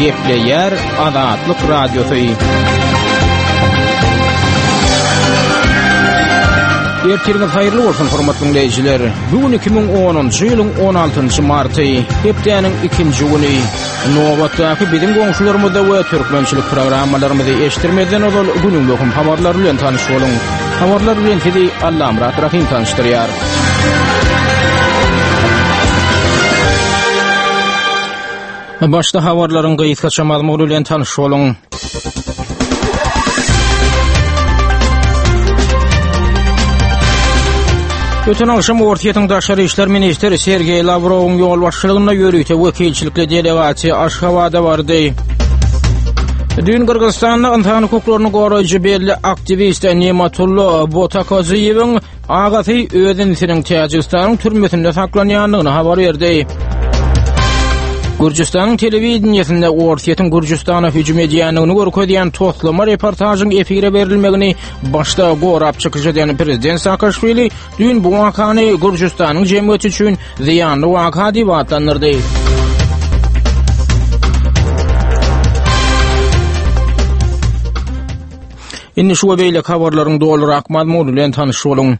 Gepleýär Azatlyk Radiosy. Ertiriňiz haýyrly bolsun, hormatly diňleýjiler. Bu gün 2010-njy ýylyň 16-njy marty, hepdäniň ikinji güni. Nobatdaky biziň goňşularymyzda we türkmençilik programmalarymyzy eşitdirmezden ozal günüň möhüm habarlary bilen tanyş boluň. Habarlar bilen sizi Allamyrat Rahym tanyşdyrýar. Başda habarlaryň gysgaça mazmuny bilen tanyş boluň. Öten agşam Orsýetiň daşary işler ministri Sergeý Lawrowyň ýolbaşçylygynda ýörite wekilçilikli delegasiýa Aşgabada bardy. Düýn Gyrgyzystanda ynsan hukuklaryny goraýjy belli aktiwist Nematullo Botakoziýewiň Agasy öz inisiniň Täjigistanyň türmesinde saklanýandygyny habar berdi. Gürjüstanyň telewideniýesinde Orsýetiň Gürjüstana hüjüm edýändigini görkezýän toslama reportažyň efire berilmegini başda gorap çykyş eden prezident Saakaşwili düýn bu wakany Gürjüstanyň jemgyýeti üçin zyýanly waka diýip atlandyrdy. Indi şu we beýleki habarlaryň dolurak mazmuny bilen tanyş boluň.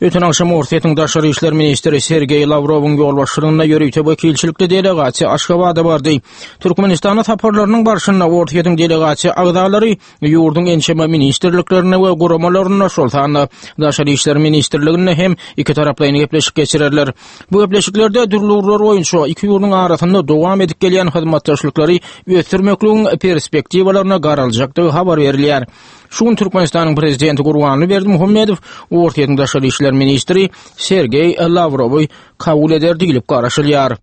Öten agşam Orsýetiň daşary işler ministri Sergeý Lawrowyň ýolbaşçylygynda ýörite wekilçilikli delegasiýa Aşgabada bardy. Türkmenistana saparlarynyň barşynda Orsýetiň delegasiýa agzalary ýurduň ençeme ministrliklerinde we guramalarynda, şol sanda Daşary işler ministrliginde hem ikitaraplaýyn gepleşik geçirerler. Bu gepleşiklerde dürli ugurlar boýunça iki ýurduň arasynda dowam edip gelýän hyzmatdaşlyklary ösdürmekligiň perspektiwalaryna garaljakdygy habar berilýär. Şu gün Türkmenistanyň Prezidenti Gurbanguly Berdimuhamedow Orsýetiň daşary işler ministri Sergeý Lawrowy kabul eder diýlip garaşylýar.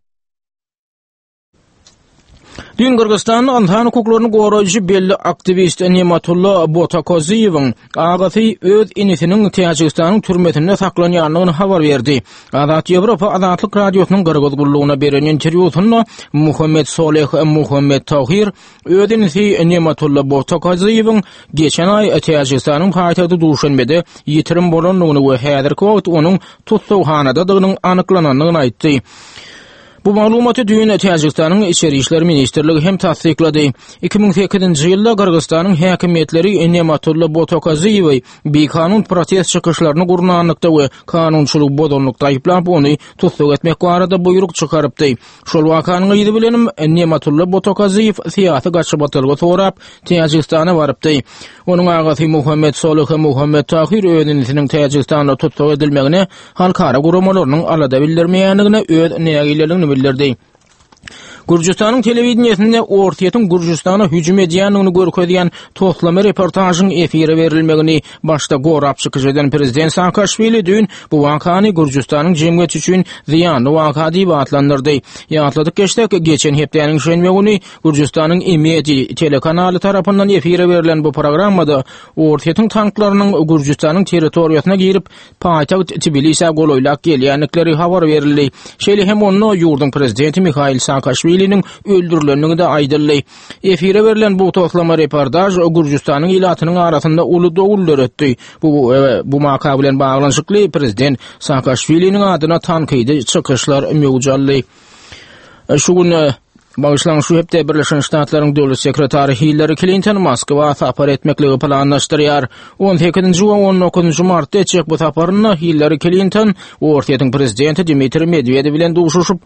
Düýn Gyrgyzystanda ynsan hukuklaryny goraýjy belli aktiwist Nematulla Botakoziýewiň agasy öz inisiniň Täjigistanyň türmesinde saklanýandygyny habar berdi. Azat Ýewropa Azatlyk Radiosynyň Gyrgyz gullugyna beren interwýusynda Muhammet Soleh Muhammet Tahir öz inisi Nematulla Botakoziýewiň geçen aý Täjigistanyň paýtagty Duşenbede ýitirim bolandygyny we häzirki wagt onuň tussaghanadadygynyň anyklanandygyny aýtdy. Bu maglumaty düýn Täjigistanyň Içeri işler ministrligi hem tassyklady. 2008-nji ýylda Gyrgyzystanyň häkimiýetleri Nematulla Botokaziýewi bikanun protest çykyşlaryny gurnanlykda we kanunçylygy bozanlykda aýyplap, ony tussag etmek barada buýruk çykarypdy. Şol wakanyň yzy bilenem Nematulla Botokaziýew syýasy gaçybatalga sorap, Täjigistana barypdy. Onuň agasy Muhammet Solyh Muhammet Tahyr öz inisiniň Täjigistanda tussag edilmegine halkara guramalarynyň alada bildirmeýändigine öz nägileligini bildirdi. Gürjüstanyň telewideniýesinde Orsýetiň Gürjüstana hüjüm edýändigini görkezýän toslama reportažyň efire berilmegini başda gorap çykyş eden prezident Saakaşwili düýn bu wakany Gürjüstanyň jemgyýeti üçin zyýanly waka diýip atlandyrdy. Ýatladyp geçsek, geçen hepdäniň şenbe güni Gürjüstanyň Imedi telekanaly tarapyndan efire berlen bu programmada Orsýetiň tanklarynyň Gürjüstanyň territoriýasyna girip, paýtagt Tbilisä golaýlap gelýändikleri habar berildi. Şeýle hem onda ýurduň prezidenti Mihail Saakaşwiliniň öldürilendigi-de aýdyldy. Efire berlen bu toslama reportaž Gürjüstanyň ilatynyň arasynda uly dowul döretdi. Bu bu waka bilen baglanyşykly prezident Saakaşwiliniň adyna tankydy çykyşlar möwç aldy. Şu gün Bagyşlaň, şu hepde Birleşen Ştatlaryň Döwlet sekretary Hillari Klinton Moskwa sapar etmekligi planlaşdyrýar. 18-nji we 19-njy martda etjek bu saparynda Hillari Klinton Orsýetiň prezidenti Dmitriý Medwedew bilen duşuşyp,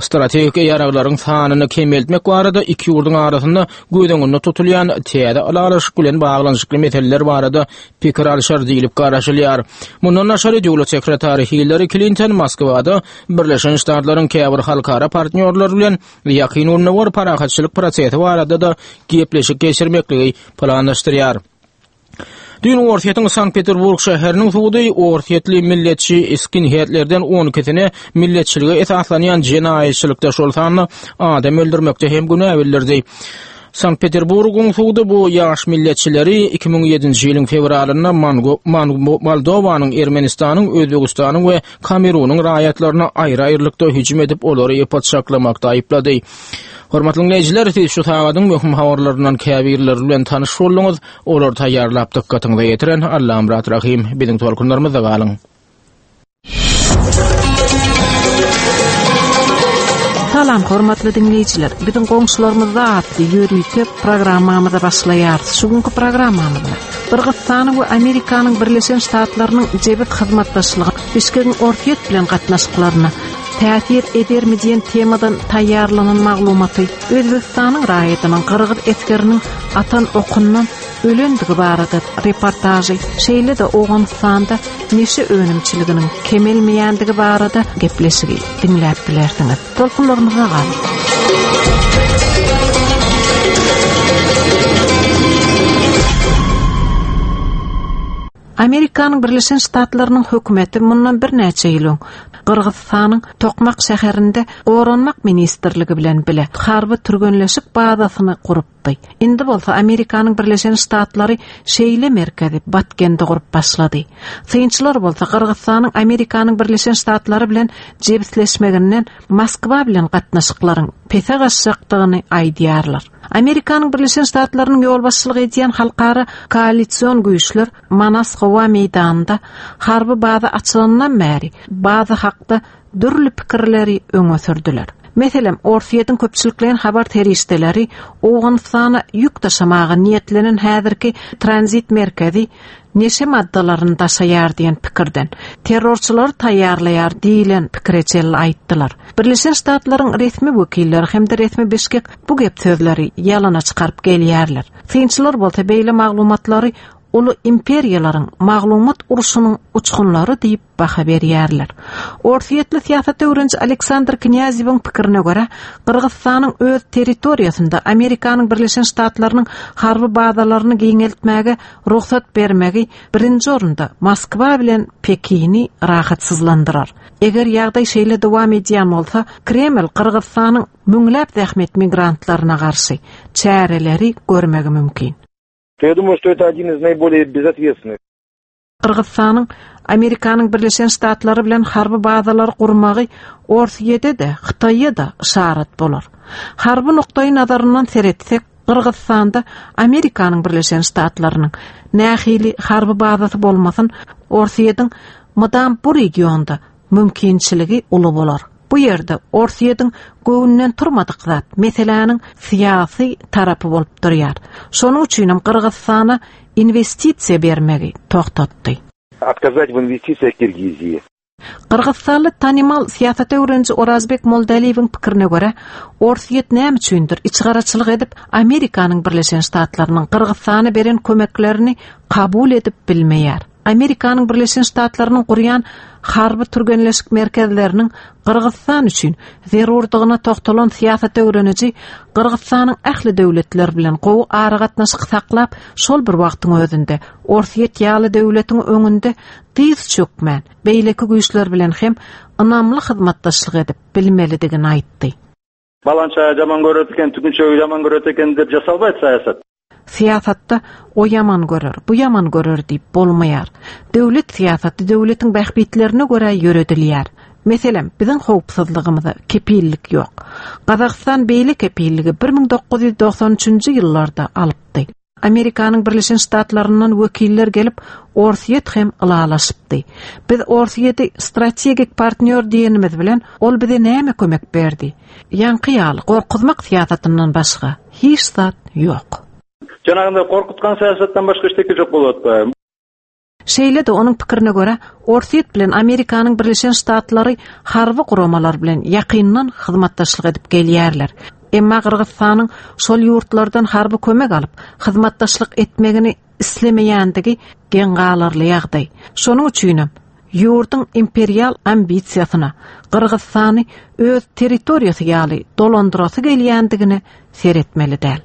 strategik ýaraglaryň sanyny kemeltmek barada iki ýurduň arasynda göz öňünde tutulýan täze ylalaşyk bilen baglanyşykly meseleler barada pikir alşar diýlip garaşylýar. Mundan daşary, döwlet sekretary Hillari Klinton Moskwada Birleşen Ştatlaryň käbir halkara partnýorlary bilen Ýakyn Gündogar parahatçylyk prosesi barada-da gepleşik geçirmekligi planlaşdyrýar. Düýn Orsýetiň Sankt-Peterburg şäheriniň sudy orsýetli milletçi skinheadlerden on ikisine milletçilige esaslanýan jenaýatçylykda, şol sanda adam öldürmekde hem günä bildirdi. Sankt-Peterburgyň sudy bu ýaş milletçileri 2007-nji ýylyň fewralynda Moldowanyň, Ermenistanyň, Özbegistanyň we Kamerunyň raýatlaryna aýry-aýrylykda hüjüm edip, olary pyçaklamakda aýyplady. Hormatly diňleýjiler, siz şu sagadyň möhüm habarlaryndan käbirleri bilen tanyş bolduňyz. Olary taýýarlap dykgatyňyza ýetiren Allamyrat Rahym. Biziň tolkunlarymyzda galyň. Salam hormatly diňleýjiler. Biziň goňşularymyzda atly ýörite programmamyza başlaýarys. Şu günki programmamyzda Gyrgyzystanyň we Amerikanyň Birleşen Ştatlarynyň jebis hyzmatdaşlygy Bişkegiň Orsýet bilen gatnaşyklaryna täsir edermi diýen temadan taýýarlanan maglumaty Özbegistanyň raýatynyň gyrgyz esgeriniň atan okundan ölendigi barada reportažy, şeýle-de Owganystanda neşe önümçiliginiň kemelmeýändigi barada gepleşigi diňläp bilersiňiz. Tolkunlarymyzda galyň. Amerikanyň Birleşen Ştatlarynyň hökümeti mundan birnäçe ýyl öň Gyrgyzystanyň Tokmak şäherinde Goranmak ministrligi bilen bile harby türgenleşik bazasyny gurupdy. Indi bolsa Amerikanyň Birleşen Ştatlary şeýle merkezi Batkende gurup başlady. Synçylar bolsa Gyrgyzystanyň Amerikanyň Birleşen Ştatlary bilen jebisleşmeginden Moskwa bilen gatnaşyklaryň pese gaçjakdygyny aýdýarlar. Amerikanyň Birleşen Ştatlarynyň ýolbaşçylyk edýän halkara koalision güýçler Manas howa meýdanynda harby baza açylanyndan bäri baza hakda dürli pikirleri öňe sürdüler. Meselem, Orsýetiň köpçülikleýin habar serişdeleri Owganystana ýük daşamaga niýetlenen häzirki tranzit merkezi neşe maddalaryny daşaýar diýen pikirden, terrorçylary taýýarlaýar diýlen pikire çenli aýtdylar. Birleşen Ştatlaryň resmi wekilleri hem-de resmi Bişkek bu gep-sözleri ýalana çykaryp gelýärler. Synçylar bolsa beýle maglumatlary uly imperiýalaryň maglumat urşunyň uçgunlary diýip baha berýärler. Orsýetli syýasat öwreniji Aleksandr Knýazewiň pikirine görä, Gyrgyzystanyň öz territoriýasynda Amerikanyň Birleşen Ştatlarynyň harby bazalaryny giňeltmäge rugsat bermegi birinji orunda Moskwa bilen Pekini rahatsyzlandyrar. Eger ýagdaý şeýle dowam edýän bolsa, Kreml Gyrgyzystanyň müňläp zähmet migrantlaryna garşy çäreleri görmegi mümkin. Я думаю, что это один из наиболее безответственных. Gyrgyzystanyň Amerikanyň Birleşen Ştatlary bilen harby bazalary gurmagy Orsýede-de, Hytaýa-da yşarat bolar. Harby nukdaý nazaryndan seretsek, Gyrgyzystanda Amerikanyň Birleşen Ştatlarynyň nähili harby bazasy bolmasyn, Orsýetiň mydam bu regionda mümkinçiligi uly bolar. Bu ýerde Orsýetiň göwnünden turmadyk zat meseläniň syýasy tarapy bolup durýar. Şonuň üçinem Gyrgyzystana inwestisiýa bermegi togtatdy. Отказать в инвестициях Киргизии. Gyrgyzystanly tanymal syýasat öwreniji Orazbek Moldaliýewiň pikirine görä, Orsýet näme üçindir içgaraçylyk edip, Amerikanyň Birleşen Ştatlarynyň Gyrgyzystana beren kömeklerini kabul edip bilmeýär. Amerikanyň Birleşen Ştatlarynyň gurýan harby türgenleşik merkezleriniň Gyrgyzystan üçin zerurdygyna togtalan syýasat öwreniji Gyrgyzystanyň ähli döwletler bilen gowy aragatnaşyk saklap, şol bir wagtyň özünde Orsýet ýaly döwletiň öňünde dyz çökmän, beýleki güýçler bilen hem ynamly hyzmatdaşlyk edip bilmelidigini aýtdy. Balançaýy ýaman göret eken, tügünçegi ýaman göret eken diýip jasalmaýt syýasat. Syýasatda o ýaman görer, bu ýaman görer diýip bolmaýar. Döwlet syýasaty döwletiň bähbitlerine görä ýöredilýär. Meselem, biziň howpsuzlygymyza kepillik ýok. Gazagystan beýle kepilligi 1993-nji ýyllarda alypdy. Amerikanyň Birleşen Ştatlaryndan wekiller gelip, Orsýet hem ylalaşypdy. Biz Orsýeti strategik partnýor diýenimiz bilen, ol bize näme kömek berdi? Ýaňky ýaly gorkuzmak syýasatyndan başga hiç zat ýok. Janagynda gorkutgan syýasatdan başga işteki ýok bolup atdy. Şeýle-de, onuň pikirine görä, Orsýet bilen Amerikanyň Birleşen Ştatlary harby guramalar bilen ýakyndan hyzmatdaşlyk edip gelýärler. Emma Gyrgyzystanyň şol ýurtlardan harby kömek alyp, hyzmatdaşlyk etmegini islemeýändigi geň galarly ýagdaý. Şonuň üçinem, ýurduň imperial ambisiýasyna, Gyrgyzystany öz territoriýasy ýaly dolandyrasy gelýändigine seretmeli däl.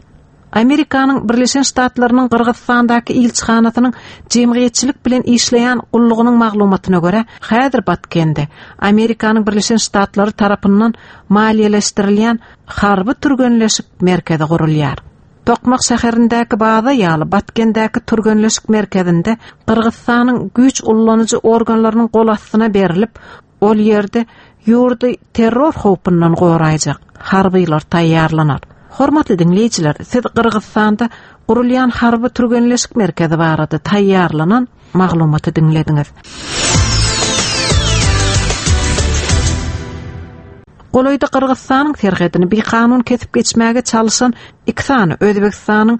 Amerikanyň Birleşen Ştatlarynyň Gyrgyzystandaky ilçihanasynyň jemgyýetçilik bilen işleýän gullugynyň maglumatyna görä, häzir Batkende Amerikanyň Birleşen Ştatlary tarapyndan maliýeleşdirilýän harby türgenleşik merkezi gurulýar. Tokmak şäherindäki baza ýaly Batkendäki türgenleşik merkezinde Gyrgyzystanyň güýç ullanyjy organlarynyň gol astyna berlip, Ol ýerde ýurdy terror howpundan goraýjak harbylar taýýarlanar. Hormatly diňleýjiler, siz Gyrgyzystanda gurulýan harby türgenleşik merkezi barada taýýarlanan maglumaty diňlediňiz. Golaýda Gyrgyzystanyň serhedini bikanun kesip geçmäge çalyşan iki sany Özbegistanyň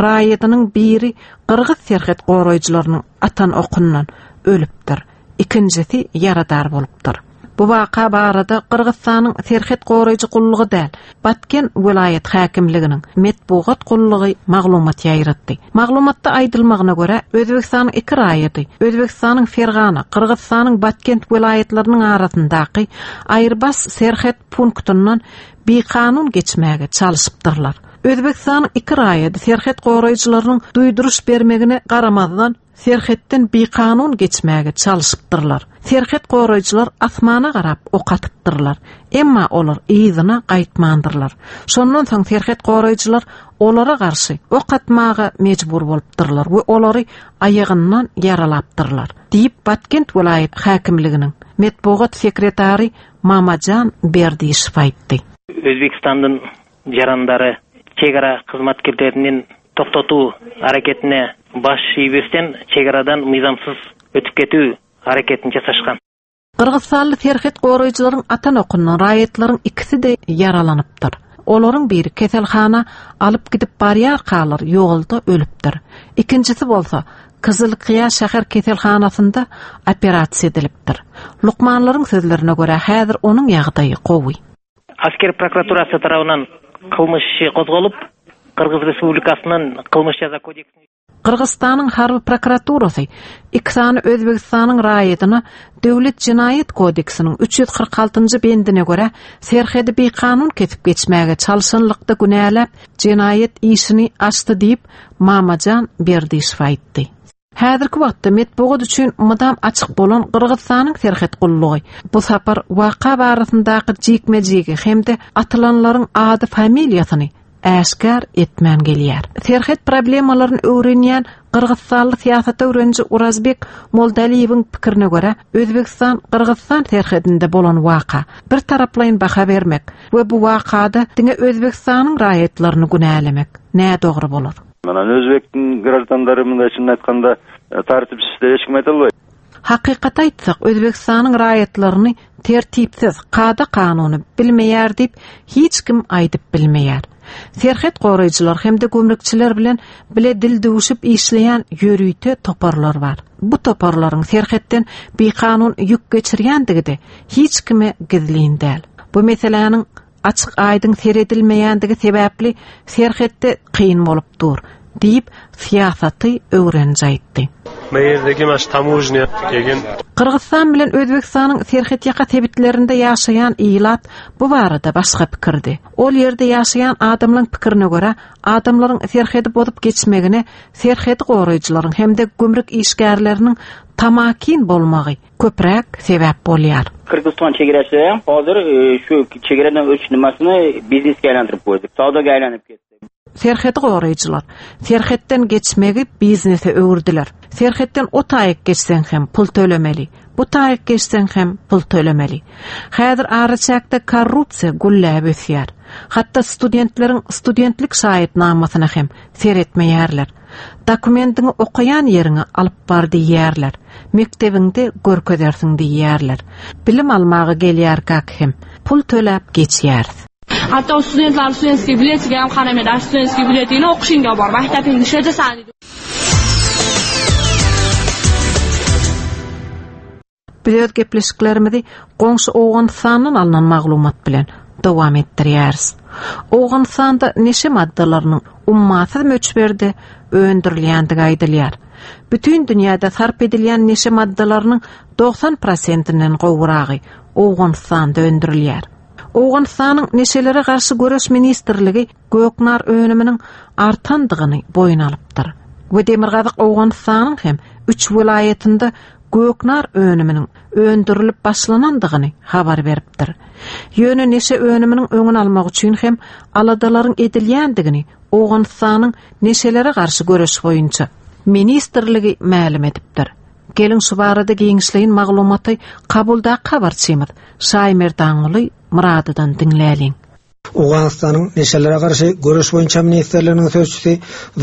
raýadynyň biri gyrgyz serhet goraýjylarynyň atan okundan ölüpdir, ikinjisi ýaradar bolupdyr. Bu waka barada Gyrgyzystanyň serhet goraýjy gullugy däl, Batken welaýat häkimliginiň metbugat gullugy maglumat ýaýratdy. Maglumatda aýdylmagyna görä, Özbegistanyň iki raýaty Özbegistanyň Fergana, Gyrgyzystanyň Batkent welaýatlarynyň arasyndaky aýyrbas serhet punktyndan bikanun geçmäge çalyşypdyrlar. Özbegistanyň iki raýaty serhet goraýjylarynyň duýduryş bermegine garamazdan, serhetden bikanun geçmäge çalyşypdyrlar. Serhet goraýjylar asmana garap ok atypdyrlar. Emma olar yzyna gaýtmandyrlar. Şondan soň serhet goraýjylar olara garşy ok atmaga mejbur bolupdyrlar we olary aýagyndan ýaralapdyrlar, diýip, Batkent welaýat häkimliginiň metbugat sekretary Mamajan Berdişew aýtdy. Özbegistanyň Jarandary çegara hyzmatkärleriniň togtatuw hareketine baş iýbesden çegaradan myzamsyz ötüp ketüw hareketini jasaşgan. Gyrgyzystanly serhet goraýjylaryň atan okundan raýatlaryň ikisi-de ýaralanypdyr. Olaryň biri keselhana alyp gidip barýarkalar ýolda ölüpdir. Ikinjisi bolsa Kyzylkyýa şäher keselhanasynda operasiýa edilipdir. Lukmanlaryň sözlerine görä häzir onuň ýagdaýy gowy. Asker prokuraturasy tarabyndan kylmyş işi gozgalyp, Gyrgyz Respublikasynyň Kylmyş jaza kodeksine. Gyrgyzystanyň harby prokuraturasy iki sany Özbegistanyň raýadyna Döwlet jenaýat kodeksiniň 346-njy bendine görä serhedi bikanun kesip geçmäge çalşanlykda günäläp, jenaýat işini açdy diýip, Mamajan Berdişew aýtdy. Häzirki wagtda metbugat üçin mydam açyk bolan Gyrgyzystanyň serhet gullugy bu sapar waka barasyndaky jikme-jigi hem-de atylanlaryň ady-familiýasyny äşgär etmän gelýär. Serhet problemalaryny öwrenýän gyrgyzystanly syýasat öwreniji Urazbek Moldaliýewiň pikirine görä, Özbegistan-Gyrgyzystan serhedinde bolan waka bir taraplaýyn baha bermek we bu wakada diňe Özbegistanyň raýatlaryny günälemek nädogry bolar. Анан өзбектин граждандары мындай чынын айтканда э, тартипсиз деп эч ким айта албайт. Hakykaty aýtsak, Özbegistanyň raýatlaryny tertipsiz, kada-kanuny bilmeýär diýip hiç kim aýdyp bilmeýär. Serhet goraýjylar hem-de gümrükçiler bilen bile dil düwüşip işleýän ýörite toparlar bar. Bu toparlaryň serhetden bikanun ýük geçirýändigi-de hiç kime gizlin däl. Bu meseläniň açyk-aýdyň seredilmeýändigi sebäpli serhetde kyn bolup dur, diýip, syýasaty öwreniji aýtdy. Bu ýerdeki maş tamožnýa kegen. Gyrgyzystan bilen Özbegistanyň serhetýaka sebitlerinde ýaşaýan ilat bu barada başga pikirdi. Ol ýerde ýaşaýan adamlaryň pikirine görä, adamlaryň serhedi bozup geçmegine serhedi goraýjylaryň hem-de gümrük işgärleriniň tamakin bolmagy köpräk sebäp bolýar. Gyrgyzystan çegeresi hozir e, şu çegaradan ötüş nimasini biznesga aylantirib qo'ydi. Savdoga aylanib ketdi. Serhedi goraýjylar serhetden geçmegi biznese öwürdiler. Serhetden o taýyk geçseň hem pul tölemeli, bu taýyk geçseň hem pul tölemeli. Häzir araçäkde korrupsiýa gülläp ösýär. Hatda studentleriň studentlik şaýatnamasyna hem seretmeýärler. Dokumendiňi okaýan ýeriňe alyp bar diýýärler. Mekdebiňde görkezersiň diýýärler. Bilim almaga gelýärkäk hem pul töläp geçýäris. Hatda studentlar studentskiý biletiga ham qaramaydi. Studentskiy biletingni o'qishingga bor, maktabingni ishlatasan deydi. Biz öz gepleşiklerimizi goňşy Owganystandan alnan maglumat bilen dowam etdirýäris. Owganystanda neşe maddalarynyň ummasyz möçberde öndürilýändigi aýdylýar. Bütin dünýäde sarp edilýän neşe maddalarynyň 90 prosentinden gowragy Owganystanda öndürilýär. Owganystanyň Neşelere garşy göreş ministrligi göknar önüminiň artandygyny boýun alypdyr we Demirgazyk Owganystanyň hem üç welaýatynda göknar önüminiň öndürilip başlanandygyny habar beripdir. Ýöne neşe önüminiň öňüni almak üçin hem aladalaryň edilýändigini Owganystanyň neşelere garşy göreş boýunça ministrligi mälim edipdir. Geliň şu barada giňişleýin maglumaty Kabuldaky habarçymyz Şaýmerdanguly Myradydan diňläliň. Owganystanyň Neşelere garşy göreş boýunça ministrliginiň sözçüsi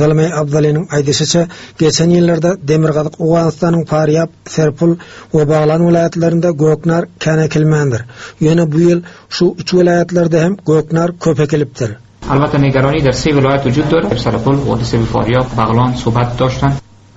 Zalmaý Abdalynyň aýdyşyça, geçen ýyllarda Demirgazyk Owganystanyň Farýab, Serpul we Baglan welaýatlarynda göknar kän ekilmändir. Ýöne bu ýyl şu üç welaýatlarda hem göknar köp ekilipdir. Albatta nigaroni der se vilayat vujud dorat, Sarapul, Vodise Faryab, Baglan sohbat doştan.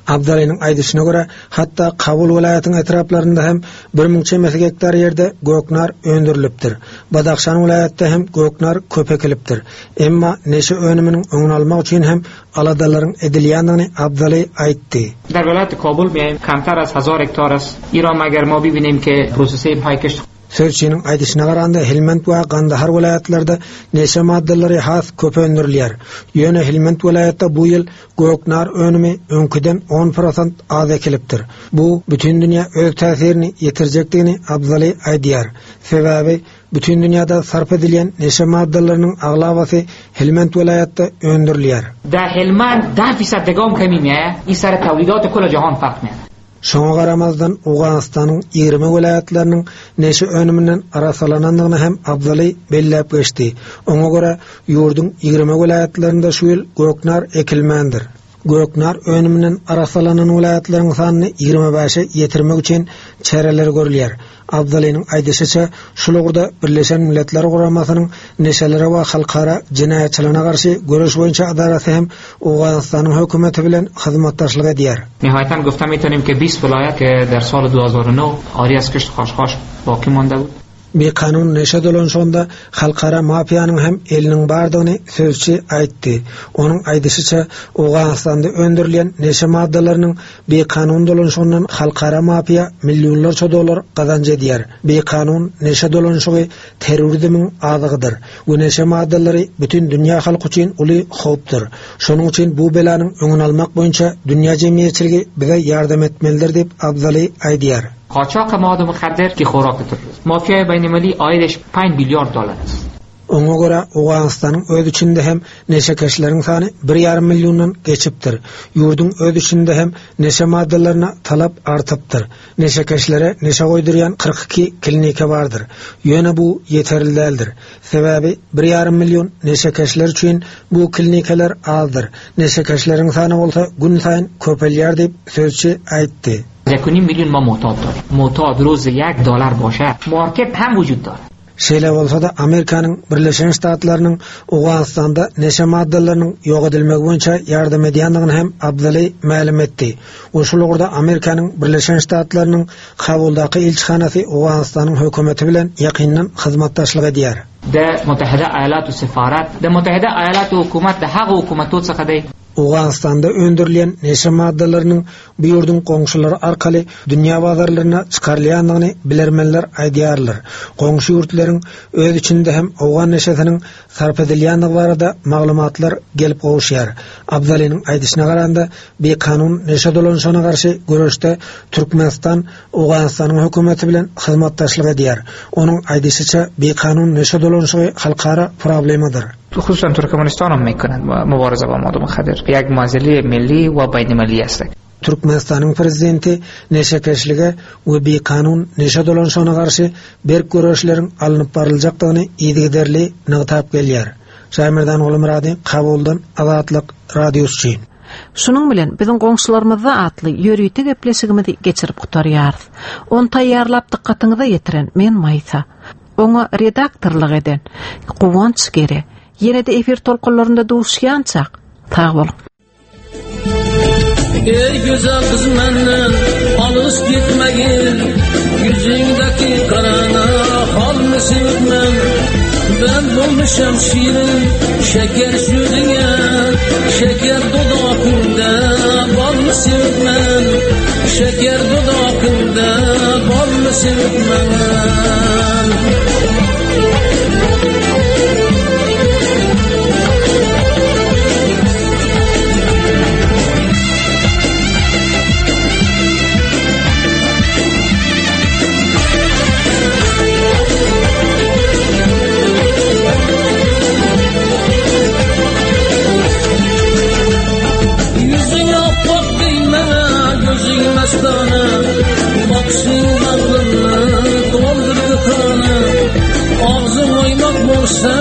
Abdalynyň aýdyşyna görä, hatda Kabul welaýatyň etraplarynda hem 1000 çemesi gektar ýerde göknar öndürilipdir. Badahşan welaýatda hem göknar köp ekilipdir. Emma neşe önüminiň öňüni almak üçin hem aladalaryň edilýändigini Abdaly aýtdy. Der vilayat Kabul miayim kamtar az hazar hektar ast. Ira magar ma bibinim ke prosese های kisht Sözçiniň aýdyşyna garanda, Helmand we Gandahar welaýatlarda neşe maddalary has köp öndürilýär. Ýöne Helmand welaýatda bu ýyl göknar önümi öňküden on prosent az ekilipdir. Bu bütin dünýä öz täsirini ýetirjekdigini Abzaly aýdýar. Sebäbi bütin dünýäde sarp edilýän neşe maddalarynyň aglabasy Helmand welaýatda öndürilýär. Der Helmand deh fisad degam kemi miaye, i sar tawlidat kol jahan farq miaye. Şoňa garamazdan, Owganystanyň 20 welaýatlarynyň neşe önüminden arassalanandygyny hem Abdaly belläp geçdi. Oňa görä, ýurduň 20 welaýatlarynda şu ýyl göknar ekilmändir. Göknar önüminden arassalanan welaýatlaryň sanyny 25-e ýetirmek üçin çäreler görülýär. Abdalynyň aýdyşyça, şul ugurda Birleşen Milletler Guramasynyň Neşelere we halkara jenaýatçylygyna garşy göreş boýunça edarasy hem Owganystanyň hökümeti bilen hyzmatdaşlyk edýär. Nihaýatan gufta mitanim ke bist vilayat ke der sal 2009 ari az kisht khashkhash baqi manda bud. Bikanun neşe dolanyşygynda halkara mafiýanyň hem eliniň bardygyny sözçi aýtdy. Onuň aýdyşyça, Owganystanda öndürilýän neşe maddalarynyň Bikanun dolanyşygyndan halkara mafiýa millionlarça dollar gazanç edýär. Bikanun neşe dolanyşygy terrorizmiň azygydyr we neşe maddalary bütin dünýä halky üçin uly howpdur. Şonuň üçin bu belanyň öňüni almak boýunça dünýä jemgyýetçiligi bize ýardam etmelidir diýip, Abdaly aýdýar. Qaçaq mad mukhadder ki khorak terrorizm. Mafiýaý beýnilmilli aýydeş 5 billiard dollar ast. Oňa görä, Owganystanyň öz içinde hem neşekeşleriň sany bir ýarym milliondan geçipdir. Ýurduň öz içinde hem neşe maddalaryna talap artypdyr. Neşekeşlere neşe goýdurýan 42 klinika bardyr. Ýöne bu ýeterli däldir. Sebäbi bir ýarym million neşekeşler üçin bu klinikalar azdyr. Neşekeşleriň sany bolsa günsaýyn köpelýär diýip, sözçi aýtdy. Yek u nim million ma mu'tad dorim. Mu'tad roz yek dolar başe. Market hem vujud dore. Şeýle bolsa-da, Amerikanyň Birleşen Ştatlarynyň Owganystanda neşe maddalarynyň ýok edilmegi boýunça ýardam edýändigini hem Abdaly mälim etdi we şul ugurda Amerikanyň Birleşen Ştatlarynyň Kabuldaky ilçihanasy Owganystanyň hökümeti bilen ýakyndan hyzmatdaşlyk edýär. De Mutahida Aýalatu Sefarat, De Mutahida Aýalatu Hukumat, De Hagu Hukumatu څخه دی. Owganystanda öndürilýän neşe maddalarynyň bu ýurduň goňşulary arkaly dünýä bazarlaryna çykarylýandygyny bilermenler aýdýarlar. Goňşy ýurtlaryň öz içinde hem owgan neşesiniň sarp edilýändigi barada maglumatlar gelip gowuşýar. Abdalynyň aýdyşyna garanda, bikanun neşe dolanyşygyna garşy göreşde Türkmenistan Owganystanyň hökümeti bilen hyzmatdaşlyk edýär. Onuň aýdyşyça, bikanun neşe dolanyşygy halkara problemadyr. Hususan Türkmenistan hem mekonand mubareze ba mad mukhaddir ýek mazeli milli we beýnimilli est. Türkmenistanyň Prezidenti neşekeşlige we bikanun neşe dolanyşygyna garşy berk göreşleriň alnyp baryljakdygyny yzygiderli nygtap gelýär. Şaýmerdan Gulumyrady, Kabuldan, Azatlyk Radiosy üçin. Şunuň bilen biziň goňşularymyzda atly ýörite gepleşigimizi geçirip gutarýarys. Ony taýýarlap dykgatyňyza ýetiren men Maýsa. Oňa redaktorlyk eden Guwanç Gere. Ýene-de efir tolkunlarynda duşýançak, sag boluň. Ey güzel kız menden alış gitmegin Yüzündeki karana hal sevmen Ben bulmuşam şirin şeker südüne Şeker dudakında bal mı sevmen Şeker dudakında bal mı sevmen Yüzün appak diýme, gözüň mestana, Bakşyň bagryny doldurdy kana. Agzyň oýmak bolsa.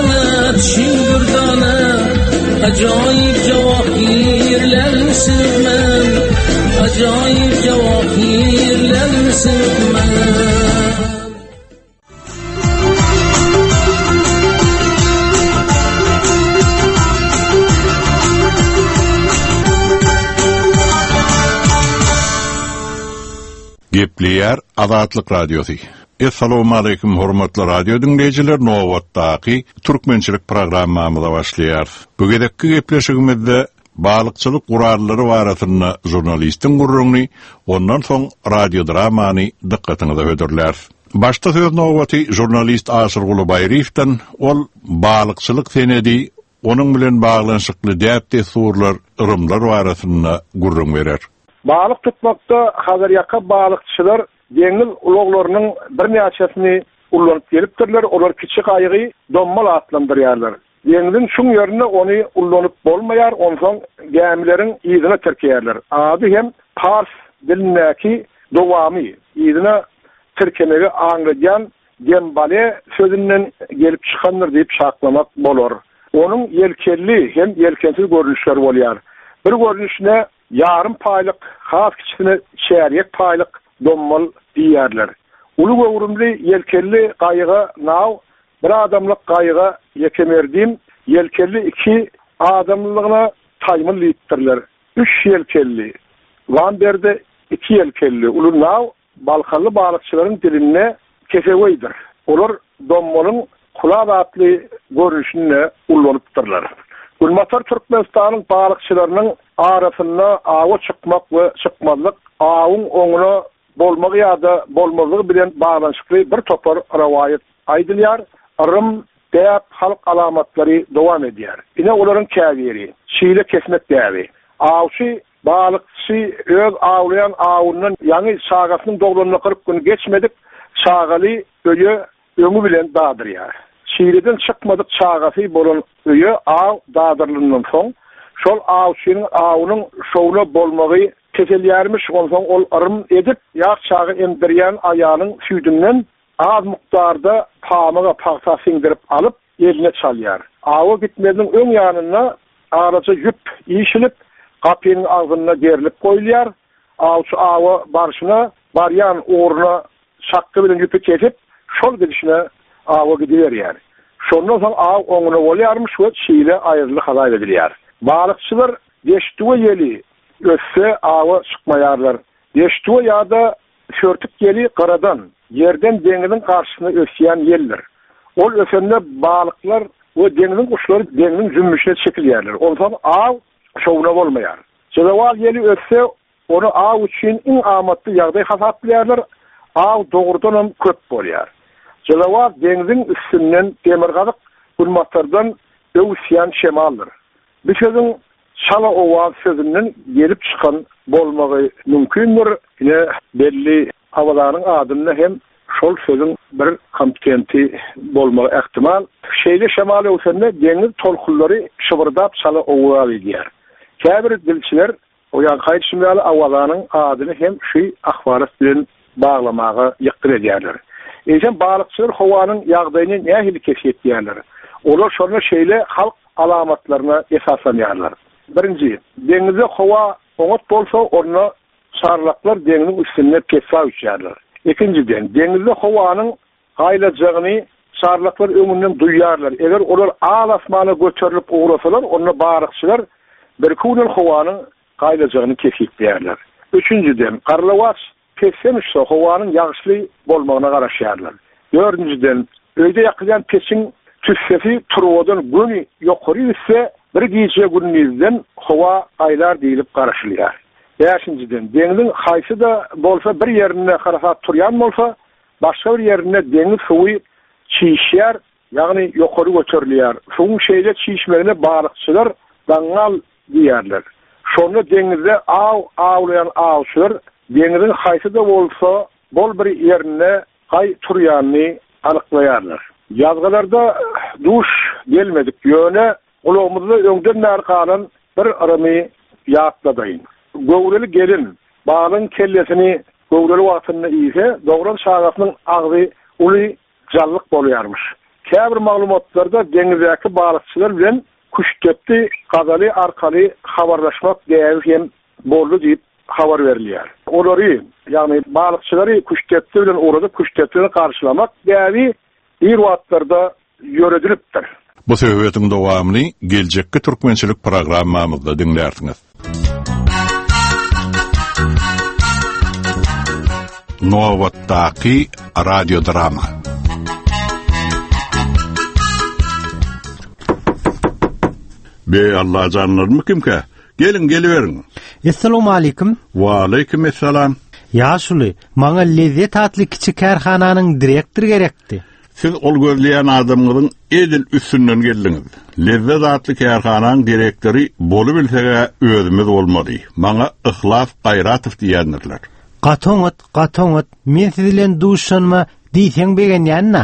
Ajoyib javohirlarni sevmam Ajoyib javohirlarni sevmam Gepleýär Azatlyk Radiosy. Essalawmaleýkim hormatly radio diňleýjiler nobatdaky türkmençilik programmamyza başlaýarys. Bu gezekki gepleşigimizde balykçylyk gurallary barasynda žurnalistiň gürrüňini, ondan soň radiodramany dykgatyňyza hödürläris. Başda söz nobaty žurnalist Aşyrguly Baýryýewden, ol balykçylyk senedi, onuň bilen baglanyşykly däp-dessurlar, yrymlar barasynda gürrüň berer. Balyk tutmakda Hazarýaka balykçylar deňiz ulaglarynyň birnäçesini ullanyp gelipdirler, olar kiçi gaýygy dommal atlandyrýarlar. Deňziň çuň ýerinde ony ullanyp bolmaýar, onsoň gämileriň yzyna tirkeýärler. Ady hem pars dilindäki dowamy, yzyna tirkemegi aňladýan dembale sözünden gelip çykandyr diýip çaklamak bolar. Onuň ýelkenli hem ýelkensiz görnüşleri bolýar. Bir görnüşine ýarym paýlyk, has kiçisine çärýek paýlyk dommal diýýärler. Uly göwrümli ýelkenli gaýyga naw, bir adamlyk gaýyga ýekemerdim, ýelkenli iki adamlylygyna taýmyl diýipdirler. Üç ýelkenli, Wamberde iki ýelkenli uly naw Balkanly balykçylaryň dilinde keseweýdir. Olar dommalyň kulaz atly görnüşini-de ullanypdyrlar. Günbatar Türkmenistanyň balykçylarynyň arasynda awa çykmak we çykmazlyk, awuň oňuna bolmagy ýa-da bolmazlygy bilen baglanyşykly bir topar rowaýat aýdylýar, yrym, däp, halk alamatlary dowam edýär. Ine olaryň käbiri, Şile kesmek däbi. Awçy Balykçy öz awlaýan awundan ýaňy çagasynyň doglanyna 40 gün geçmedik çagaly öýe öňi bilen dadyrýar. Çileden çykmadyk çagasy bolan öýe aw dadyrylandan soň, şol awçynyň awunyň şowuna bolmagy peselýärmiş, onsoň ol yrym edip, ýaş çaga emdirýän aýalyň süýdünden az mukdarda pamyga, pagta siňdirip alyp, eline çalýar. Awa gitmeziniň öň ýanynda alaja ýüp işilip, gapynyň agzynda gerlip goýulýar. Awçy awa barşyna, barýan ugruna çakgy bilen ýüpi kesip, şol gidişine awa gidiberýär. Şondan soň aw oňuna bolýarmyş we çile aýryldy hasap edilýär. Balykçylar deştüwe ýeli össe awa çykmaýarlar. Deştüwe ýa-da Sörtük ýeli gyradan, ýerden deňziň garşysyna ösýän ýeldir. Ol ösende balyklar we deňziň guşlary deňziň jümmüşine çekilýärler. Onsoň aw şowuna bolmaýar. Jezewal ýeli össe, ony aw üçin iň amatly ýagdaý hasaplaýarlar, aw dogrudanam köp bolýar. Jezewal deňziň üstünden demirgazyk günbatardan öwüsýän şemaldyr. Bu sözüň çala owaz sözünden gelip çykan bolmagy mümkindir. Ine, belli Awazanyň adynda hem şol sözüň bir kompetenti bolmagy ähtimal. Şeýle şemal öwsende deňiz tolkunlary şybyrdap çala owaz edýär. Käbir dilçiler O ýaňky aýdyşym ýaly Awazanyň adyny hem şu ahwalat bilen baglamaga ýykgyn edýärler. Eýsem balykçylar howanyň ýagdaýyny nähili kesgitleýärler? Olar şonda şeýle halk alamatlaryna esaslanýarlar. Birinji, deňizde howa oňat bolsa, onda çarlaklar deňziň üstünde pessaý uçýarlar. Ikinjiden, deňizde howanyň Gaýlajagyny çarlaklar öňünden duýýarlar. Eger olar al-asmana göterilip ugrasalar, onda balykçylar birki günden howanyň gaýlajagyny kesgitleýärler. Üçünjiden, garlawaç pesden uçsa, howanyň ýagyşly bolmagyna garaşýarlar. Dördünjiden, öýde ýakylýan peçiň tüssesi turbadan göni ýokary gitse, bir gije-gündizden howa gaýlar diýlip garaşylýar. Bäşinjiden, deňziň haýsy-da bolsa bir ýerinde harasat turýan bolsa, Başga bir ýerinde deňiz suwy çişýär, ýagny ýokary göterilýär. Suwuň şeýle çişmegine balykçylar daňňal diýýärler. Şonda deňizde aw awlaýan awçylar deňziň haýsy-da bolsa bol bir ýerinde gaý turýanyny anyklaýarlar. Ýazgylarda duş gelmedik, ýöne Gulagymyzda öňden bäri galan bir yrymy ýatladaýyn. Göwreli gelin balygyň kellesini göwreli wagtynda iýse, dogran çagasynyň agzy uly jallyk bolýarmyş. Käbir maglumatlarda deňizdäki balykçylar bilen. Küştdepdi gazaly arkaly habarlaşmak däbi hem boldy diýip habar berilýär. Olary, ýagny balykçylary küştdepdi bilen ugradyp, küştdepdi bilen garşylamak däbi ir wagtlarda ýöredilipdir. Bu söhbetiň dowamyny geljekki türkmençilik programmamyzda diňlärsiňiz. Nobatdaky radiodrama. Be Allajanlarmy kimkä? Geliň, geliberiň. Essalawmaleýkim. Waleýkim essalam. Ýaşuly, maňa Lezzet atly kiçi kärhananyň direktory gerekdi. Siz ol gözleýän adamyňyzyň edil üstünden geldiňiz. Lezzet atly kärhanaň direktory bolubilseg-ä özümiz bolmaly. Maňa Yhlas Gaýratow diýýändirler. Gaty oňat, gaty oňat. Men siz bilen duşanyma diýseň begenýän-ä.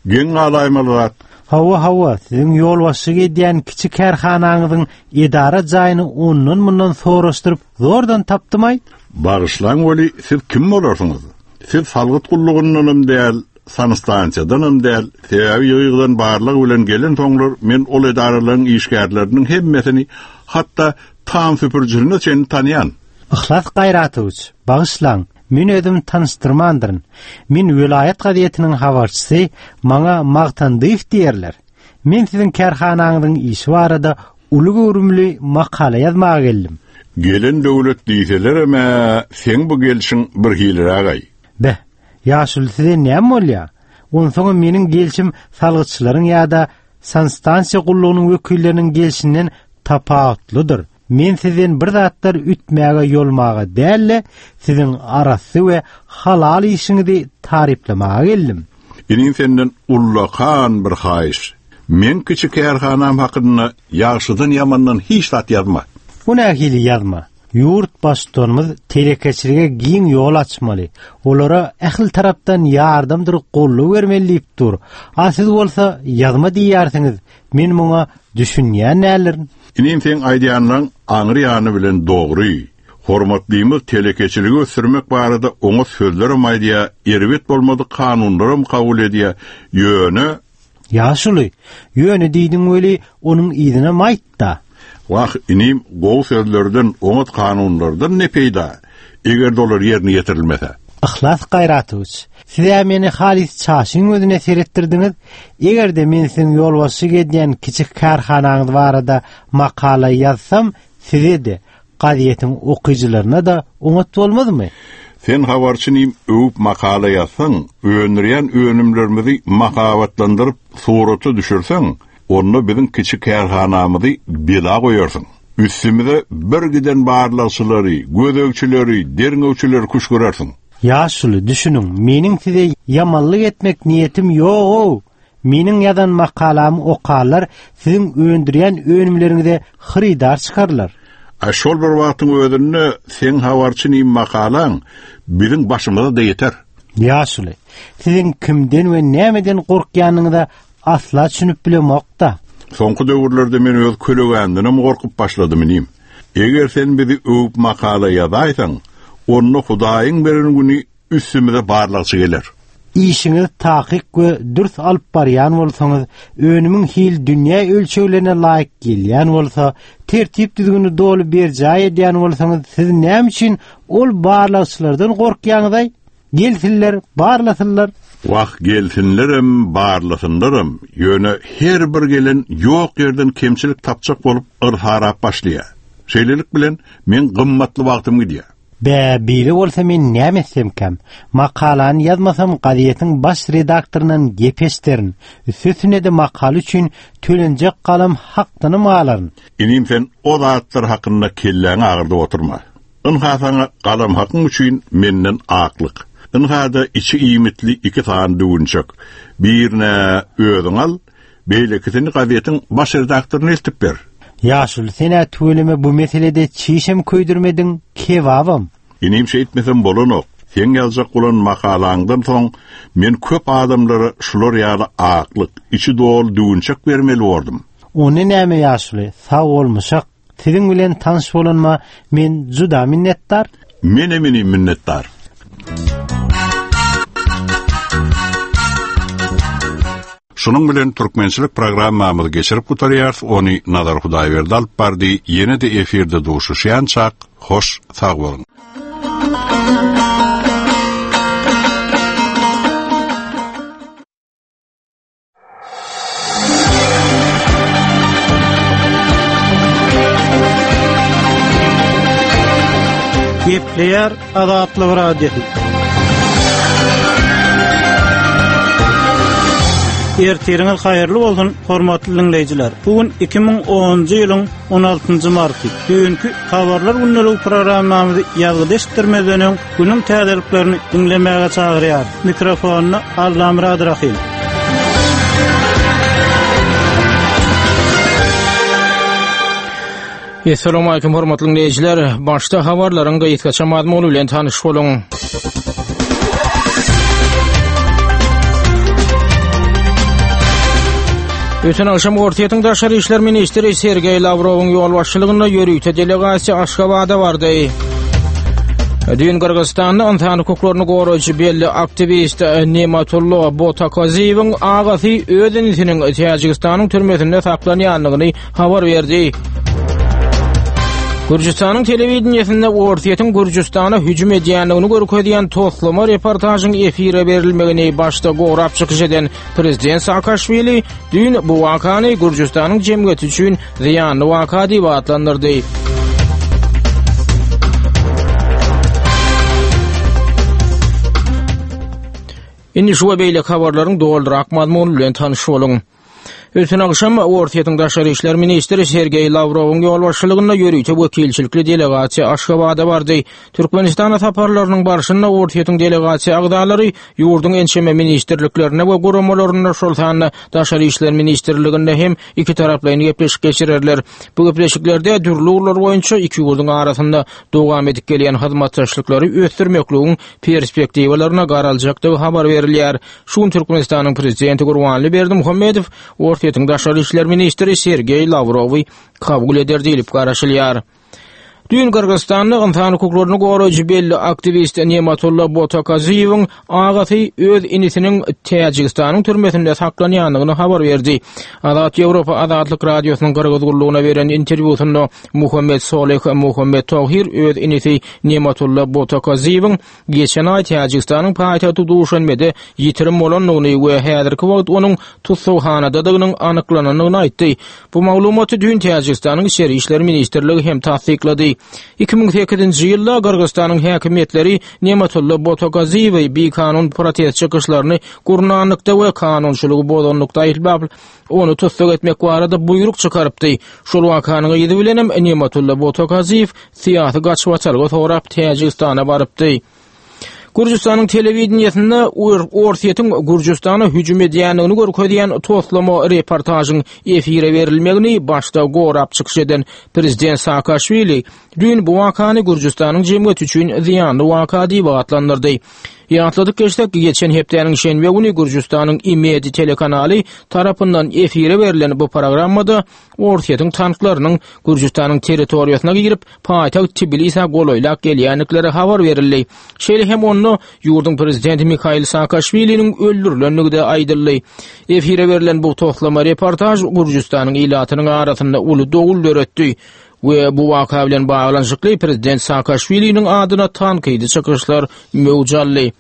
Geň galaýmaly zat. Hawa, hawa, siziň ýolbaşçylyk edýän kiçi kärhanaňyzyň edara jaýyny ondan-mundan soraşdyryp zordan tapdym-aý. Bagyşlaň weli, siz kim bolarsyňyz? Siz salgyt gullugyndanam däl, sanstansiýadanam däl, sebäbi ýygy-ýygydan barlag bilen gelensoňlar men ol edaralaryň işgärleriniň hemmesini, hatda tam süpürijisine çenli tanýan. Yhlas Gaýratowiç, bagyşlaň, men özüm tanyşdyrmandyryn. Men welaýat gazetiniň habarçysy, maňa Magtandyýew diýerler. Men siziň kärhanaňyzyň işi barada uly göwrümli makala ýazmaga geldim. Gelen döwlet diýselerem-ä, seň bu gelşiň birhiliräg-aý. Beh, ýaşuly size näme bolýa? Onsoňam meniň gelşim salgytçylaryň ýa-da sanstansiýa gullugynyň wekilleriniň gelşinden tapawutlydyr. Men sizden bir zatlar ütmäge ýolmaga däl-de, siziň arasy we halal işiňizi taryplamaga geldim. Inim senden ullakan bir haýyş. Meň kiçi kärhanam hakynda ýagşydan-ýamandan hiç zat ýazma. Bu nähili ýazma? Ýurt Baştutanymyz telekeçilige giň ýol açmaly, olara ähli tarapdan ýardamdyr goldaw bermeli diýip dur. A siz bolsa ýazma diýýärsiňiz, men muňa düşünýän däldirin. Inim seň aýdýanlaň aňry ýany bilen dogry. Hormatlymyz telekeçiligi ösdürmek barada oňat sözlerem aýdýa, erbet bolmadyk kanunlaram kabul edýä, ýöne Ýaşuly, ýöne diýdiň weli, onuň yzynam aýt-da. Wah, inim, gowy sözlerden, oňat kanunlardan ne peýda, eger-de olar ýerine ýetirilmese? Yhlas Gaýratowiç, siz-ä meni halys çaşyň gözüne seretdirdiňiz. Eger-de men siziň ýolbaşçylyk edýän kiçi kärhanaňyz barada makala ýazsam, size-de, Gazetiň okyjylaryna-da oňat bolmazmy? Sen habarçy inim öwüp makala ýazsaň, öndürýän önümlerimizi mahabatlandyryp surata düşürseň, onda biziň kiçi kärhanamyzy bela goýarsyň. Üstümize bir giden barlagçylary, gözegçileri, derňewçileri küşgürersiň. Ýaşuly, düşüniň, meniň size ýamanlyk etmek niýetim ýog-ow! Meniň ýazan makalamy okarlar, siziň öndürýän önümleriňize hyrydar çykarlar. A şol bir wagtyň özünde seň habarçy nim makalaň biziň başymyza-da ýeter. Ýaşuly, siziň kimden we nämeden gorkýanyňyza asla düşünip bilemok-da. Soňky döwürlerde men öz kölegämdenem gorkup başladym inim. Eger sen bizi öwüp makala ýazaýsaň, onda Hudaýyň beren güni Üstümize barlagçy geler. Işiňizi takyk we dürs alyp barýan bolsaňyz, önümiň hili dünýä ölçeglerine laýyk gelýän bolsa, tertip-düzgüni doly berjaý edýän bolsaňyz, siz näme üçin ol barlagçylardan gorkýaňyz-aý? Gelsinler, barlasynlar. Wah, gelsinlerem, barlasynlaram, ýöne her bir gelen ýok ýerden kemçilik tapjak bolup yrsarap başlaýar. Şeýlelik bilen, meň gymmatly wagtym gidýär. Bä, beýle bolsa men näme etsemkäm? Makalany ýazmasam gazetiň baş redaktoryndan gep eşderin. Üstesine-de makala üçin tölenjek galam hakdanam galaryn. Inim sen o zatlar hakynda kelläňi agyrdyp oturma. Ynha saňa galam hakyň üçin menden aklyk. Ynha-da içi iýmitli iki sany düwünçek. Birini özüň al, Beýlekisini gazetiň baş redaktoryna eltip ber. Ýaşuly sen-ä tüweleme bu meselede çişem köýdürmediň, kebabam. Inim şeýtmesem bolanok. Seň ýazjak bolan makalaňdan soň men köp adamlara şular ýaly aklyk, içi doly düwünçek bermeli bordum. Onda näme ýaşuly, sag bolmuşak. Siziň bilen tanyş bolanyma men juda minnetdar. Menem inim minnetdar. Şunuň bilen türkmençilik programmamyzy geçirip gutarýarys, ony Nazar Hudaýberdi alyp bardy, ýene-de efirde duşuşýançak, hoş sag boluň. Gepleýär Azatlyk Radiosy. Ertiriňiz haýyrly bolsun, hormatly diňleýjiler. Bu gün 2010-njy ýylyň 16-njy marty. Düýnki Habarlar gündeligi programmamyzy ýazgyda eşitdirmezden öň, günüň täzeliklerini diňlemäge çagyrýarys. Mikrofonda Allamyrat Rahym. Assalamualaikum hormatly dinleýjiler. Başda habarlaryň gysgaça mazmuny bilen tanyş boluň. Öten agşam Orsýetiň daşary işler ministri Sergeý Lawrowyň ýolbaşçylygynda ýörite delegasiýa Aşgabada bardy. Düýn Gyrgyzystanda ynsan hukuklaryny goraýjy belli aktiwist Nematullo Botakoziýewiň agasy öz inisiniň Täjigistanyň türmesinde saklanýandygyny habar berdi. Gürjüstanyň telewideniýesinde Orsýetiň Gürjüstana hüjüm edýändigini görkezýän toslama reportažyň efire berilmegini başda gorap çykyş eden prezident Saakaşwili düýn bu wakany Gürjüstanyň jemgyýeti üçin zyýanly waka diýip atlandyrdy. Indi şu we beýleki habarlaryň dolurak mazmuny bilen tanyş boluň. Öten agşam Orsýetiň daşary işler ministri Sergeý Lawrowyň ýolbaşçylygynda ýörite wekilçilikli delegasiýa Aşgabada bardy. Türkmenistana saparlarynyň barşynda Orsýetiň delegasiýa agzalary ýurduň ençeme ministrliklerinde we guramalarynda, şol sanda Daşary işler ministrliginde hem ikitaraplaýyn gepleşik geçirerler. Bu gepleşiklerde dürli ugurlar boýunça iki ýurduň arasynda dowam edip gelýän hyzmatdaşlyklary ösdürmekligiň perspektiwalaryna garaljakdygy habar berilýär. Şu gün Türkmenistanyň Prezidenti Gurbanguly Berdimuhamedow Orsýetiň daşary işler ministri Sergeý Lawrowy kabul eder diýlip garaşylýar. Düýn Gyrgyzystanda ynsan hukuklaryny goraýjy belli aktiwist Nematulla Botakaziýewiň agasy öz inisiniň Täjigistanyň türmesinde saklanýandygyny habar berdi. Azat Ýewropa Azatlyk Radiosynyň Gyrgyz gullugyna beren interwýusynda Muhammet Solih Muhammet Tohir öz inisi Nematulla Botakaziýewiň Geçen aý Täjigistanyň paýtagty Duşanbede ýitirim bolandygyny we häzirki wagt onuň tussaghanadadygynyň anyklanandygyny aýtdy. Bu maglumaty düýn Täjigistanyň Içeri işler ministrligi hem tassyklady. 2008-nji ýylda Gyrgyzystanyň häkimiýetleri Nematulla Botogaziýewi bikanun protest çykyşlaryny gurnanlykda we kanunçylygy bozanlykda aýyplap, ony tussag etmek barada buýruk çykarypdy. Şol wakanyň yzy bilenem Nematulla Botogaziýew syýasy gaçybatalga sorap Täjigistana barypdy. Gürjüstanyň telewideniýesinde Orsýetiň Gürjüstana hüjüm edýändigini görkezýän toslama reportažyň efire berilmegini başda gorap çykyş eden prezident Saakaşwili düýn bu wakany Gürjüstanyň jemgyýeti üçin zyýanly waka diýip atlandyrdy. Ýatladyp geçsek, geçen hepdäniň şenbe güni Gürjüstanyň Imedi telekanaly tarapyndan efire berlen bu programmada Orsýetiň tanklarynyň Gürjüstanyň territoriýasyna girip, paýtagt Tbilisä golaýlap gelýändikleri habar berildi. Şeýle hem onda ýurduň prezidenti Mihail Saakaşwiliniň öldürilendigi-de aýdyldy. Efire berlen bu toslama reportaž Gürjüstanyň ilatynyň arasynda uly dowul döretdi we bu waka bilen baglanyşykly prezident Saakaşwiliniň adyna tankydy çykyşlar möwç aldy.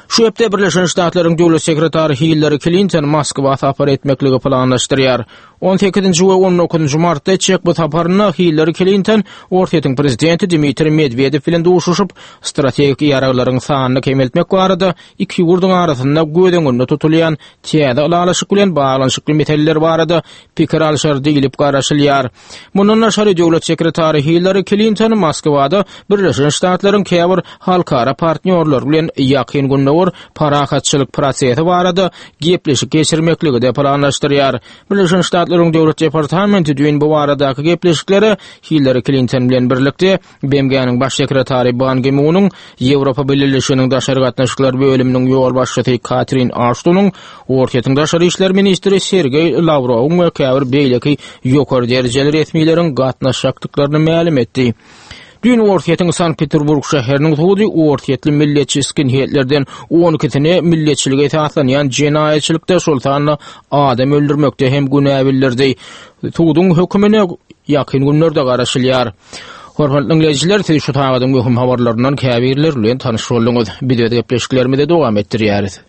Şu hepde Birleşen Ştatlaryň Döwlet sekretary Hillari Klinton Moskwa sapar etmekligi planlaşdyrýar. 18-nji we 19-njy martda etjek bu saparynda Hillari Klinton Orsýetiň prezidenti Dmitriý Medwedew bilen duşuşyp, strategik ýaraglaryň sanyny kemeltmek barada iki ýurduň arasynda göz öňünde tutulýan täze ylalaşyk bilen baglanyşykly meseleler barada pikir alşar diýlip garaşylýar. Mundan daşary, döwlet sekretary Hillari Klinton Moskwada Birleşen Ştatlaryň käbir halkara partnýorlary bilen Ýakyn Gündogar parahatçylyk prosesi barada gepleşik geçirmekligi-de planlaşdyrýar. Birleşen Ştatlaryň Döwlet departamenti düýn bu baradaky gepleşiklere Hillari Klinton bilen birlikde BMG-niň Baş sekretary Ban Gi-munyň, Ýewropa Bileleşiginiň daşary gatnaşyklar bölüminiň ýolbaşçysy Katrin Aştonyň, Orsýetiň daşary işler ministri Sergeý Lawrowyň we käbir beýleki ýokary derejeli resmileriň gatnaşjakdyklaryny mälim etdi. Düýn Orsýetiň Sankt-Peterburg şäheriniň sudy orsýetli milletçi skinheadlerden on ikisine milletçilige esaslanýan jenaýatçylykda, şol sanda adam öldürmekde hem günä bildirdi. Suduň hökümine ýakyn günlerde garaşylýar. Hormatly diňleýjiler, siz şu sagadyň möhüm habarlaryndan käbirleri bilen tanyş bolduňyz. Biz öz gepleşiklerimizi dowam etdirýäris.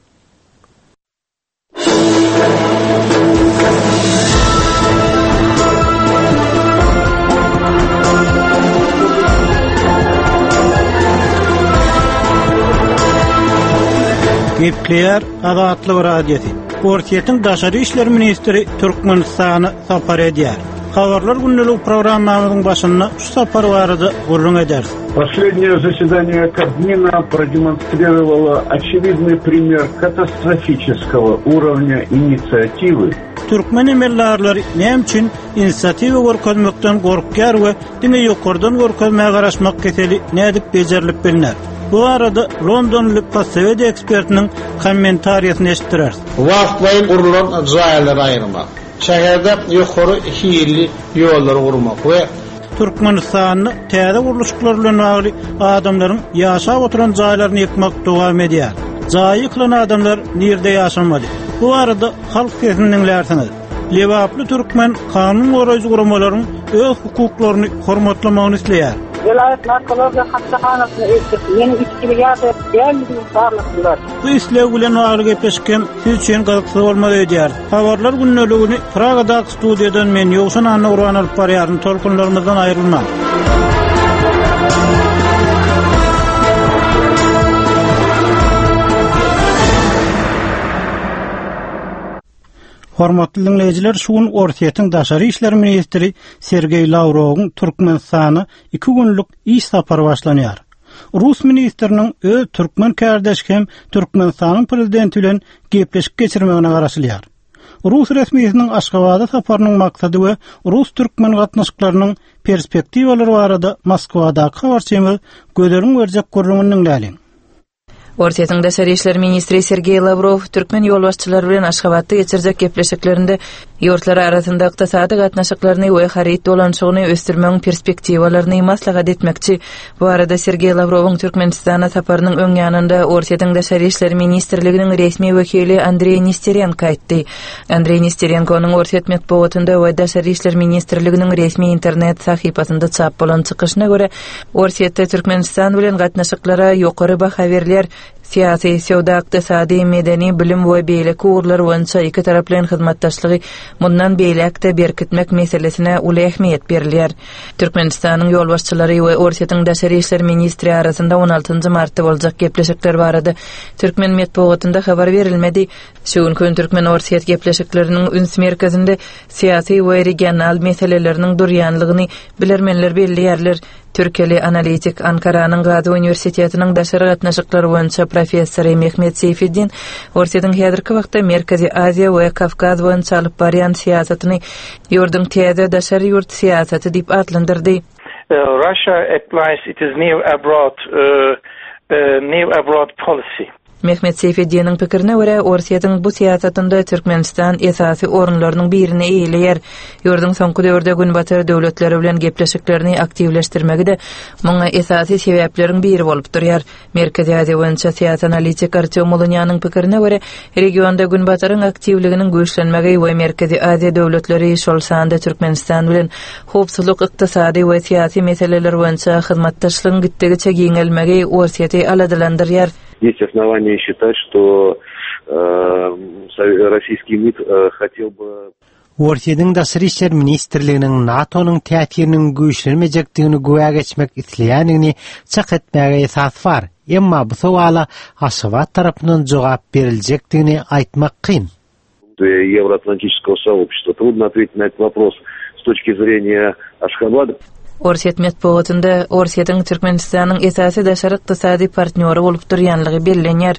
Gepleýär Azatlyk Radiosy. Orsýetiň daşary işler ministri Türkmenistana sapar edýär. Habarlar gündelik programmamyzyň başynda şu sapar barada gürrüň ederis. Последнее заседание Кабмина продемонстрировало очевидный пример катастрофического уровня инициативы. Türkmen emeldarlary näme üçin inisiatiwa görkezmekden gorkýar we diňe ýokardan görkezmä garaşmak keseli nädip bejerilip bilner? Bu barada londonly postsowet ekspertiniň kommentariýasyny eşitdireris. Wagtlaýyn gurlan jaýlary aýyrmak. Şäherde ýokary hilli ýollary gurmak we. Türkmenistanda täze gurluşyklar bilen bagly adamlaryň ýaşap oturan jaýlaryny ýykmak dowam edýär. Jaýy ýykylan adamlar nirde ýaşamaly? Bu barada halk sesini diňlärsiňiz. Lebaply türkmen kanun goraýjy guramalaryň öz hukuklaryny hormatlamagyny isleýär. Welaýat narkologiýa hassahanasyna eltip, meniň içgili ýa-da däldigimi barladylar. Bu isleg bilen bagly gepleşik hem siz üçin gyzyksyz bolmaz öýdýäris. Habarlar gündeligini Pragadaky studiýadan men Ýowşan Annagurban alyp barýaryn. Tolkunlarymyzdan aýrylmaň. Hormatly diňleýjiler, şu gün Orsýetiň daşary işler ministri Sergeý Lawrowyň Türkmenistana iki günlük iş sapary başlanýar. Rus ministriniň öz türkmen kärdeşi hem Türkmenistanyň prezidenti bilen gepleşik geçirmegine garaşylýar. Rus resmisiniň Aşgabada saparynyň maksady we rus-türkmen gatnaşyklarynyň perspektiwalary barada Moskwadaky habarçymyz Gözeliň berjek gürrüňini diňläliň. Orsýetiň daşary işler ministri Sergeý Lawrow türkmen ýolbaşçylary bilen Aşgabatda geçirjek gepleşiklerinde ýurtlar arasynda ykdysady gatnaşyklaryny we haryt dolanyşygyny ösdürmegiň perspektiwalaryny maslahat etmekçi. Bu barada Sergeý Lawrowyň Türkmenistana saparynyň öň ýanynda Orsýetiň Daşary işler ministrliginiň resmi wekili Andreý Nesterenko aýtdy. Andreý Nesterenkonyň orsýet metbugatynda we Daşary işler ministrliginiň resmi internet sahypasynda çap bolan çykyşyna görä, Orsýetde Türkmenistan bilen gatnaşyklara ýokary baha berilýär, syýasy, söwda-ykdysady, medeni, bilim we beýleki ugurlar boýunça ikitaraplaýyn hyzmatdaşlygy mundan beýläk-de berkitmek meselesine uly ähmiýet berilýär. Türkmenistanyň ýolbaşçylary we Orsýetiň daşary işler ministri arasynda on altynjy martda boljak gepleşikler barada türkmen metbugatynda habar berilmedi. Şu günki gün türkmen-orsýet gepleşikleriniň üns merkezinde syýasy we regional meseleleriniň durýanlygyny bilermenler belleýärler. Türkiýeli analitik, Ankaranyň Gazi uniwersitetiniň daşary gatnaşyklar boýunça professory Mehmet Seýfeddin Orsýetiň häzirki wagtda Merkezi Aziýa we Kawkaz boýunça alyp barýan syýasatyny ýurduň täze daşary ýurt syýasaty diýip atlandyrdy. Russia applies its new abroad new abroad policy. Mehmet Seýfeddiniň pikirine görä, Orsýetiň bu syýasatynda Türkmenistan esasy orunlarynyň birini eýeleýär. Ýurduň soňky döwürde Günbatar döwletleri bilen gepleşiklerini aktiwleşdirmegi-de muňa esasy sebäpleriň biri bolup durýar. Merkezi Aziýa boýunça syýasy analitik Artýom Mulunýanyň pikirine görä, regionda Günbataryň aktiwliginiň güýçlenmegi we Merkezi Aziýa döwletleri, şol sanda Türkmenistan bilen howpsuzlyk, ykdysady we syýasy meseleler boýunça hyzmatdaşlygyň gitdigiçe giňelmegi Orsýeti aladalandyrýar. Есть основания считать, что российский МИД хотел бы Orsýetiň Daşary işler ministrliginiň NATO-nyň täsiriniň güýçlenmejekdigini güwä geçmek isleýändigini çak etmäge esas bar, emma bu sowala Aşgabat tarapyndan jogap beriljekdigini aýtmak kyn. Евроатлантического сообщества. Трудно ответить на этот вопрос с точки зрения Ашхабада. Orsýet metbugatynda Orsýetiň Türkmenistanyň esasy daşary ykdysady partnýory bolup durýanlygy bellenýär.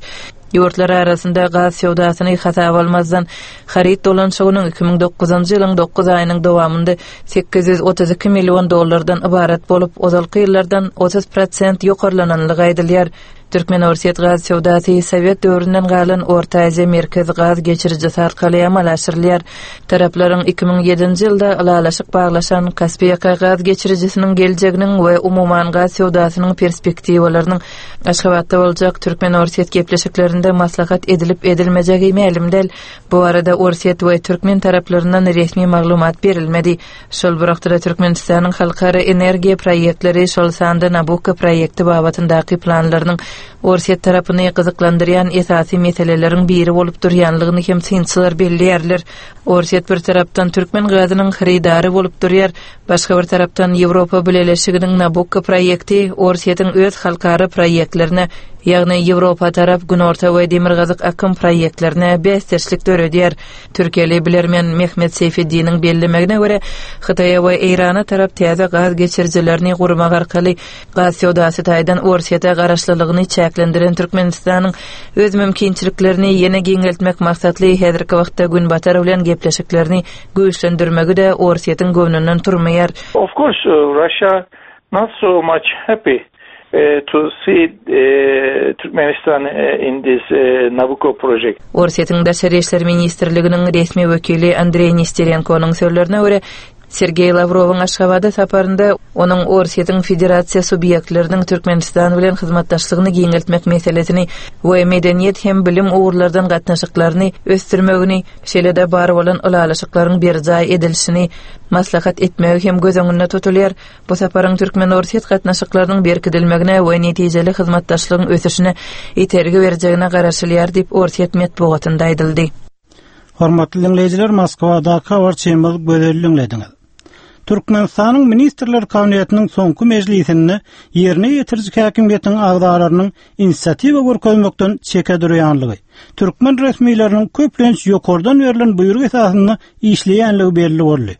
Ýurtlar arasynda gaz söwdasyny hasaba almazdan, haryt dolanyşygynyň 2009-njy ýylyň dokuz aýynyň dowamynda 832 million dollardan ybarat bolup, ozalky ýyllardan 30 prosent ýokarlananlygy aýdylýar. Türkmen-orsýet gaz söwdasy sowet döwründen galan Orta Aziýa Merkez gaz geçirijisi arkaly amala aşyrylýar. Taraplaryň 2007-nji ýylda ylalaşyk baglaşan Kaspiýaka gaz geçirijisiniň geljeginiň we umuman gaz söwdasynyň perspektiwalarynyň Aşgabatda boljak türkmen-orsýet gepleşiklerinde maslahat edilip-edilmejegi mälim däl. Bu barada orsýet we türkmen taraplaryndan resmi maglumat berilmedi. Şol bir wagtda-da Türkmenistanyň halkara energiýa proýektleri, şol sanda Nabukko proýekti babatyndaky planlarynyň Orsýet tarapyny gyzyklandyrýan esasy meseleleriň biri bolup durýanlygyny hem synçylar belleýärler. Orsýet bir tarapdan türkmen gazynyň hyrydary bolup durýar, başga bir tarapdan Ýewropa Bileleşiginiň Nabukko proýekti Orsýetiň öz halkara proýektlerine, ýagny Ýewropa tarap Günorta we Demirgazyk akym proýektlerine bäsdeşlik döredýär. Türkiýeli bilermen Mehmet Seýfeddiniň bellemegine görä, Hytaýa we Eýrana tarap täze gaz geçirijilerini gurmak arkaly gaz söwdasy taýdan Orsýete garaşlylygyny çäklendiren Türkmenistanyň öz mümkinçiliklerini ýene giňeltmek maksatly häzirki wagtda Günbatar bilen gepleşiklerini güýçlendirmegi-de Orsýetiň göwnünden turmaýar. Of course, Russia not so much happy to see Turkmenistan in this Nabucco project. Orsýetiň Daşary işler ministrliginiň resmi wekili Andreý Nesterenkonyň sözlerine görä, Sergeý Lawrowyň Aşgabada saparynda onuň Orsýetiň federasiýa subýektleriniň Türkmenistan bilen hyzmatdaşlygyny giňeltmek meselesini we medeniýet hem bilim ugurlardan gatnaşyklaryny ösdürmegini, şeýle-de bar bolan ylalaşyklaryň berjaý edilişini maslahat etmegi hem göz öňünde tutulýar. Bu saparyň türkmen-orsýet gatnaşyklarynyň berkidilmegine we netijeli hyzmatdaşlygyň ösüşine itergi berjegine garaşylýar diýip, orsýet metbugatynda aýdyldy. Hormatly diňleýjiler, Moskwadaky habarçymyz Gözeli diňlediňiz. Türkmenistanyň Ministrler Kabinetiniň soňky mejlisinde ýerine ýetiriji häkimiýetiň agzalarynyň inisiatiwa görkezmekden çeke durýanlygy, türkmen resmileriniň köplenç ýokardan berlen buýruk esasynda işleýänligi belli boldy.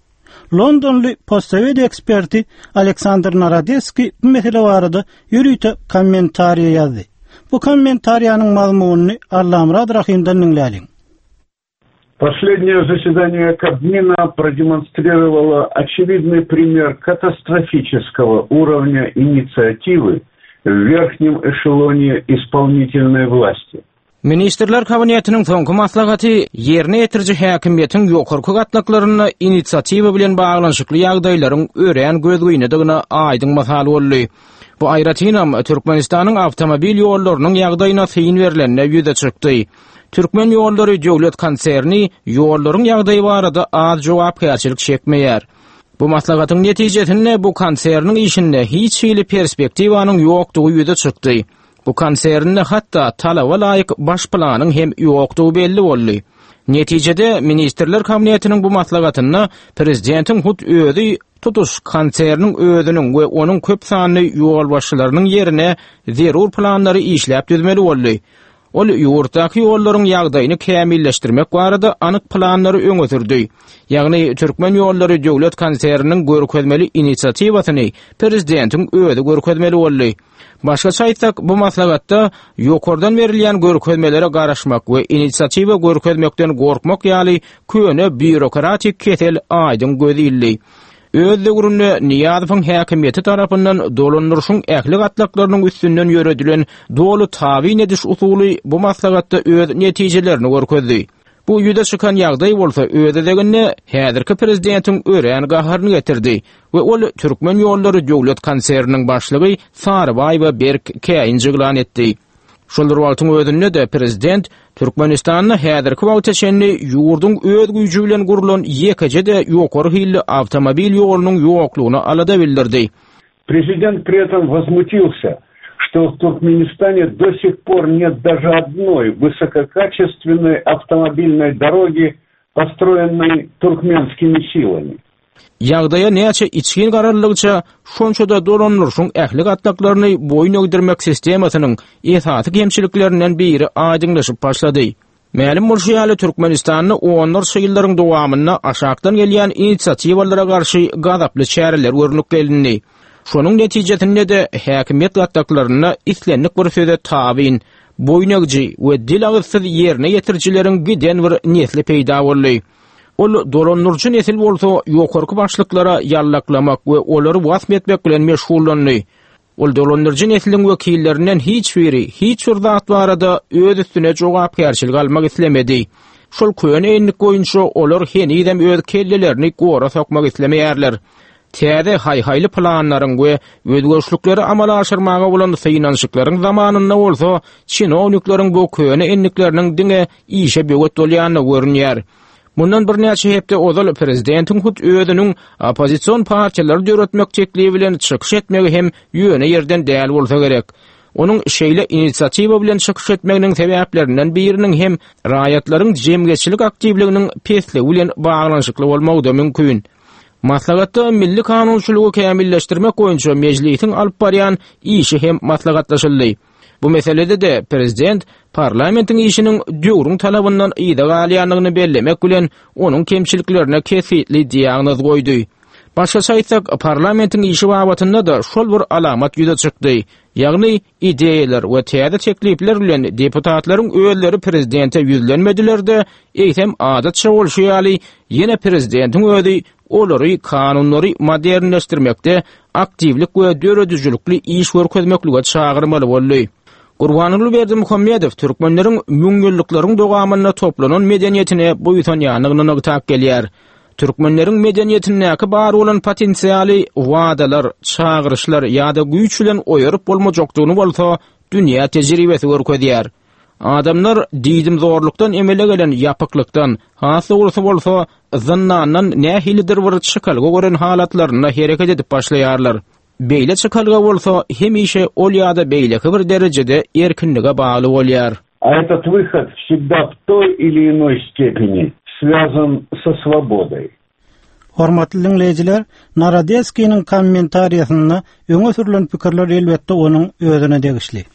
Londonly postsowet eksperti Aleksandr Narodeskiý bu mesele barada ýörite kommentariýa ýazdy. Bu kommentariýanyň mazmunyny Allamyrat Rahymdan diňläliň. Последнее заседание Кабмина продемонстрировало очевидный пример катастрофического уровня инициативы в верхнем эшелоне исполнительной власти. Ministrler Kabinetiniň soňky maslahaty ýerine ýetiriji häkimiýetiň ýokarky gatlaklarynda inisiatiwa bilen baglanyşykly ýagdaýlaryň örän gözgynydygyna aýdyň mysal boldy. Bu aýratynam Türkmenistanyň awtomobil ýollarynyň ýagdaýyna syn berlende ýüze çykdy. Türkmen ýollary döwlet konserni ýollaryň ýagdaýy barada az jogapkärçilik çekmeýär. Bu maslahatyň netijesinde bu konserniň işinde hiç hili perspektiwanyň ýokdugy ýüze çykdy. Bu konsernde hatda talaba laýyk baş planyň hem ýokdugy belli boldy. Netijede, Ministrler Kabinetiniň bu maslahatynda prezidentiň hut özi tutuş konserniň özüniň we onuň köp sanly ýolbaşçylarynyň ýerine zerur planlary işläp düzmeli boldy. Ol ýurtdaky ýollaryň ýagdaýyny kämilleşdirmek barada anyk planlary öňe sürdi. Ýagny Türkmen ýollary döwlet konserniniň görkezmeli inisiatiwasyny prezidentiň özi görkezmeli boldy. Başgaça aýtsak, bu maslahatda ýokardan berilýän görkezmelere garaşmak we inisiatiwa görkezmekden gorkmak ýaly köne býurokratik kesel aýdyň göz ildi. Öz döwründe Nyýazowyň häkimiýeti tarapyndan dolandyryşyň ähli gatlaklarynyň üstünden ýöredilen doly tabyn ediş usuly bu maslahatda öz netijelerini görkezdi. Bu ýüze çykan ýagdaý bolsa öz gezeginde häzirki prezidentiň örän gaharyny getirdi we ol Türkmen ýollary döwlet konserniniň başlygy Sarybaýewe berk käýinç yglan etdi. Şol bir wagtyň özünde-de prezident Türkmenistanda häzirki wagta çenli ýurduň öz güýji bilen gurlan ýekeje-de ýokary hilli awtomobil ýolunyň ýoklugyna alada bildirdi. Prezident при этом возмутился, что в Туркменистане до сих пор нет даже одной высококачественной автомобильной дороги, построенной туркменскими силами. Ýagdaýa näçe içgin garaldygyça, şonça-da dolandyryşyň ähli gatlaklaryny boýun egdirmek sistemasynyň esasy kemçiliklerinden biri aýdyňlaşyp başlady. Mälim bolşy ýaly, Türkmenistanda onlarça ýyllaryň dowamynda aşakdan gelýän inisiatiwalara garşy gazaply çäreler görnüp gelindi. Şonuň netijesinde-de häkimiýet gatlaklarynda islendik bir söze tabyn, boýun egiji we dil-agyzsyz ýerine ýetirijileriň giden bir nesli peýda boldy. Ol dolandyryjy nesil bolsa ýokarky başlyklara ýallaklamak we olary wasp etmek bilen meşgullandy. Ol dolandyryjy nesliň wekillerinden hiç biri hiç bir zat barada öz üstüne jogapkärçilik almak islemedi. Şol köne endik boýunça olar henizem öz kellelerini gora sokmak islemeýärler. Täze haý-haýly planlaryň we özgerişlikleri amala aşyrmaga bolan synanyşyklaryň zamanynda bolsa çinownikleriň bu köne endikleriniň diňe işe böwet bolýandygy görünýär. Mundan birnäçe hepde ozal prezidentiň hut özüniň oppozision partiýalary döretmek teklibi bilen çykyş etmegi hem ýöne ýerden däl bolsa gerek. Onuň şeýle inisiatiwa bilen çykyş etmeginiň sebäplerinden biriniň hem raýatlaryň jemgyýetçilik aktiwliginiň pesligi bilen baglanyşykly bolmagy-da mümkin. Maslahatda milli kanunçylygy kämilleşdirmek boýunça Mejlisiň alyp barýan işi hem maslahatlaşyldy. Bu meselede-de prezident parlamentiň işiniň döwrüň talabyndan yza galýandygyny bellemek bilen, onuň kemçiliklerine kesgitli diagnoz goýdy. Başgaça aýtsak, parlamentiň işi babatynda-da şol bir alamat ýüze çykdy, ýagny ideýalar we täze teklipler bilen deputatlaryň özleri prezidente ýüzlenmediler-de, eýsem adatça bolşy ýaly, ýene prezidentiň özi olary kanunlary modernleşdirmekde aktiwlik we döredijilikli iş görkezmeklige çagyrmaly boldy. Gurbanguly Berdimuhamedow türkmenleriň müňýyllyklaryň dowamynda toplanan medeniýetine buýsanýandygyny nygtap gelýär. Türkmenleriň medeniýetindäki bar bolan potensialy wadalar, çagyryşlar ýa-da güýç bilen oýaryp bolmajakdygyny bolsa dünýä tejribesi görkezýär. Adamlar diýdimzorlukdan emele gelen ýapyklykdan, has dogrusy bolsa, zyndandan nähilidir bir çykalga gören halatlarynda hereket edip başlaýarlar. Beýle çykalga bolsa hemişe ol ýa-da beýleki bir derejede erkinlige bagly bolýar. A этот выход всегда в той или иной степени связан со свободой. Hormatly diňleýjiler, Narodetskiniň kommentariýasynda öňe sürlen pikirler elbetde onuň özüne degişli.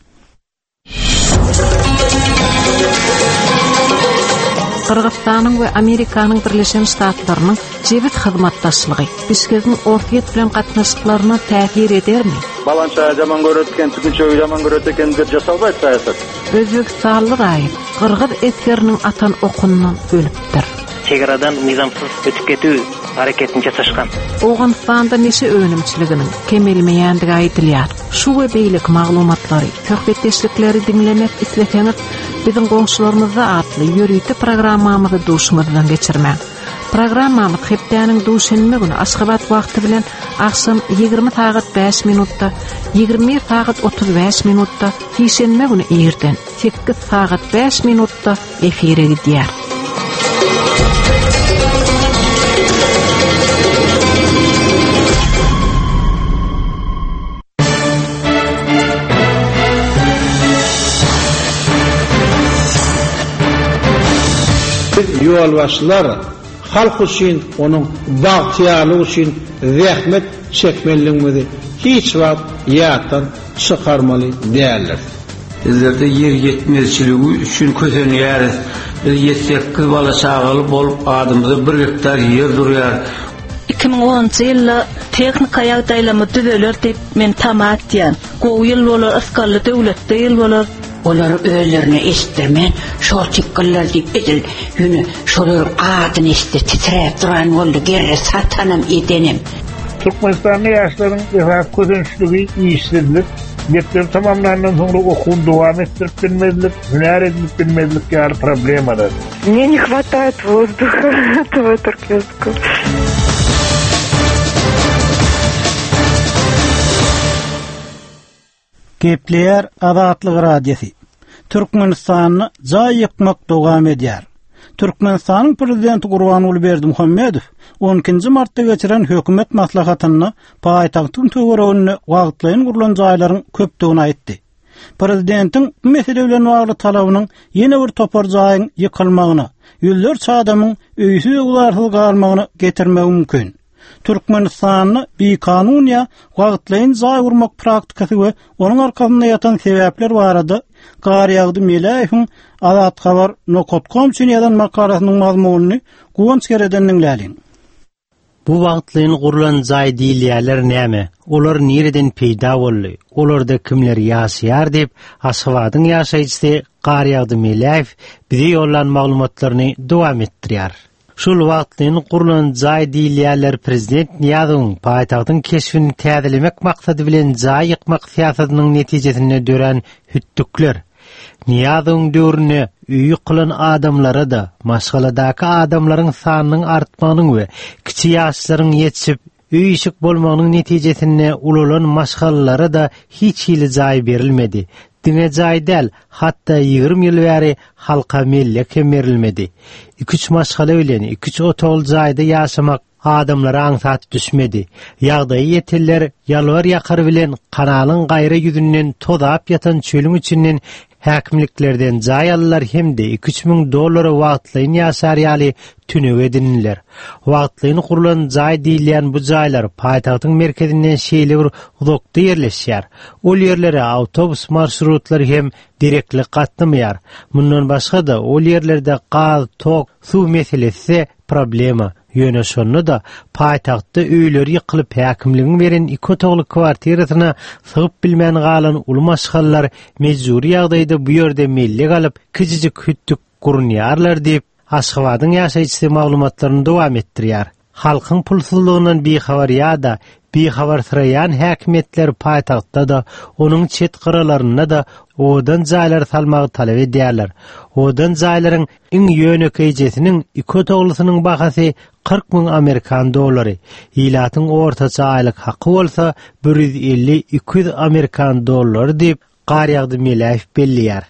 Gyrgyzystanyň we Amerikanyň Birleşen Ştatlarynyň jebis hyzmatdaşlygy Bişkegiň Orsýet bilen gatnaşyklaryna täsir edermi? Balança jaman görет eken, tügünçegi jaman görет eken dep jasalbaýt saýasat. Özbegistanly raýat gyrgyz esgeriniň atan okundan ölüpdir. Çegaradan nyzamsyz ötüp ketüw hareketini jasaşgan. Owganystanda neşe önümçiliginiň kemelmeýändigi aýdylýar. Şu we beýleki maglumatlary, söhbetdeşlikleri diňlemek isleseňiz, Biziň goňşularymyzda atly ýörite programmamyzy duşuňyzdan geçirmäň. Programmamyz hepdäniň duşenbe güni Aşgabat wagty bilen agşam 20 sagat 5 minutda, 21 sagat 35 minutda, sişenbe güni irden 8 sagat 5 minutda efire gidýär. Biz ýolbaşçylar halk üçin, onuň bagtyýarlygy üçin zähmet çekmelidigimizi hiç wagt ýatdan çykarmaly däldiris. Bizlerde ýer ýetmezçiligi üçin kösenýäris. Biz ýedi-sekiz bala-çagaly bolup adymyza bir gektar ýer durýar. 2010-njy ýylda tehnika ýagdaýlarymyz düzeler diýip men tama etýän. Gowy ýyl bolar, ysgally döwletli ýyl bolar. Olary özlerine eşitdirmän, şol tikgiller diýip edil ýöne şolaryň adyny eşitse titräp duran boldy, gerre satanam edenem. Türkmenistanda ýaşlaryň esasy kösençligi işsizlik, mekdebi tamamlandan soňra okuwyny dowam etdirip bilmezlik, hünär edinip bilmezlik ýaly problemalar. Мне не хватает воздуха этого туркменского. Gepleýär Azatlyk Radiosy. Türkmenistanda jaý ýykmak dowam edýär. Türkmenistanyň Prezidenti Gurbanguly Berdimuhamedow on ikinji martda geçiren hökümet maslahatynda paýtagtyň töwereginde wagtlaýyn gurlan jaýlaryň köpdügini aýtdy. Prezidentiň bu mesele bilen bagly talabynyň ýene bir topar jaýyň ýykylmagyna, ýüzlerçe adamyň öýsüz-öwzarsyz galmagyna getirmegi mümkin. Türkmenistanda bikanun ýa wagtlaýyn jaý gurmak praktikasy we onuň arkasynda ýatan sebäpler barada Garýagdy Meläýewiň Azathabar nokat kom üçin ýazan makalasynyň mazmunyny Guwanç Gereden diňläliň. Bu wagtlaýyn gurlan jaý diýilýärler näme? Olar nireden peýda boldy? Olarda kimler ýaşaýar diýip, Aşgabadyň ýaşaýjysy Garýagdy Meläýew bize ýollan maglumatlaryny dowam etdirýär. Şol wagtlaýyn gurlan jaý diýilýänler prezident Nyýazowyň paýtagtyň keşbini täzelemek maksady bilen jaý ýykmak syýasatynyň netijesinde dörän hütdükler. Nyýazowyň döwründe öýi ýykylan adamlara-da, maşgaladaky adamlaryň sanynyň artmagynyň we kiçi ýaşlaryň ýetişip, Öý-işik bolmagynyň netijesinde ulalan maşgalalara-da hiç hili jaý berilmedi. Diňe jaý däl, hatda 20 ýyl bäri halka mellek hem berilmedi. Iki-üç maşgala bilen iki-üç otagly jaýda ýaşamak adamlara aňsat düşmedi. Ýagdaýy ýetenler ýalbar-ýakar bilen kanalyň gaýra ýüzünden tozap ýatan çölüň içinden Häkimliklerden jaý aldylar hem-de iki-üç müň dollara wagtlaýyn ýaşar ýaly tünek edindiler. Wagtlaýyn gurlan jaý diýilýän bu jaýlar paýtagtyň merkezinden şeýle bir uzakda ýerleşýär. Ol ýerlere awtobus marşrutlary hem derekli gatnamaýar. Mundan başga-da, ol ýerlerde gaz, tok, suw meselesi-de problema. Ýöne şonda-da paýtagtda öýleri ýykylyp häkimligiň beren iki otagly kwartirasyna sygyp bilmän galan uly maşgalalar mejbury ýagdaýda bu ýerde mellek alyp, kiçijik hütdük gurunýarlar diýip, Aşgabadyň ýaşaýjysy maglumatlaryny dowam etdirýär. Halkyň pulsuzlygyndan bihabar ýa-da bihabarsyraýan häkimiýetler paýtagtda-da, onuň çet gyralarynda-da owadan jaýlary salmagy talap edýärler. Owadan jaýlaryň Iň ýönekeýjesiniň iki otaglysynyň bahasy 40 müň amerikan dollary, ilatyň ortaça aýlyk haky bolsa 150-200 amerikan dollary diýip, Garýagdy Meläýew belleýär.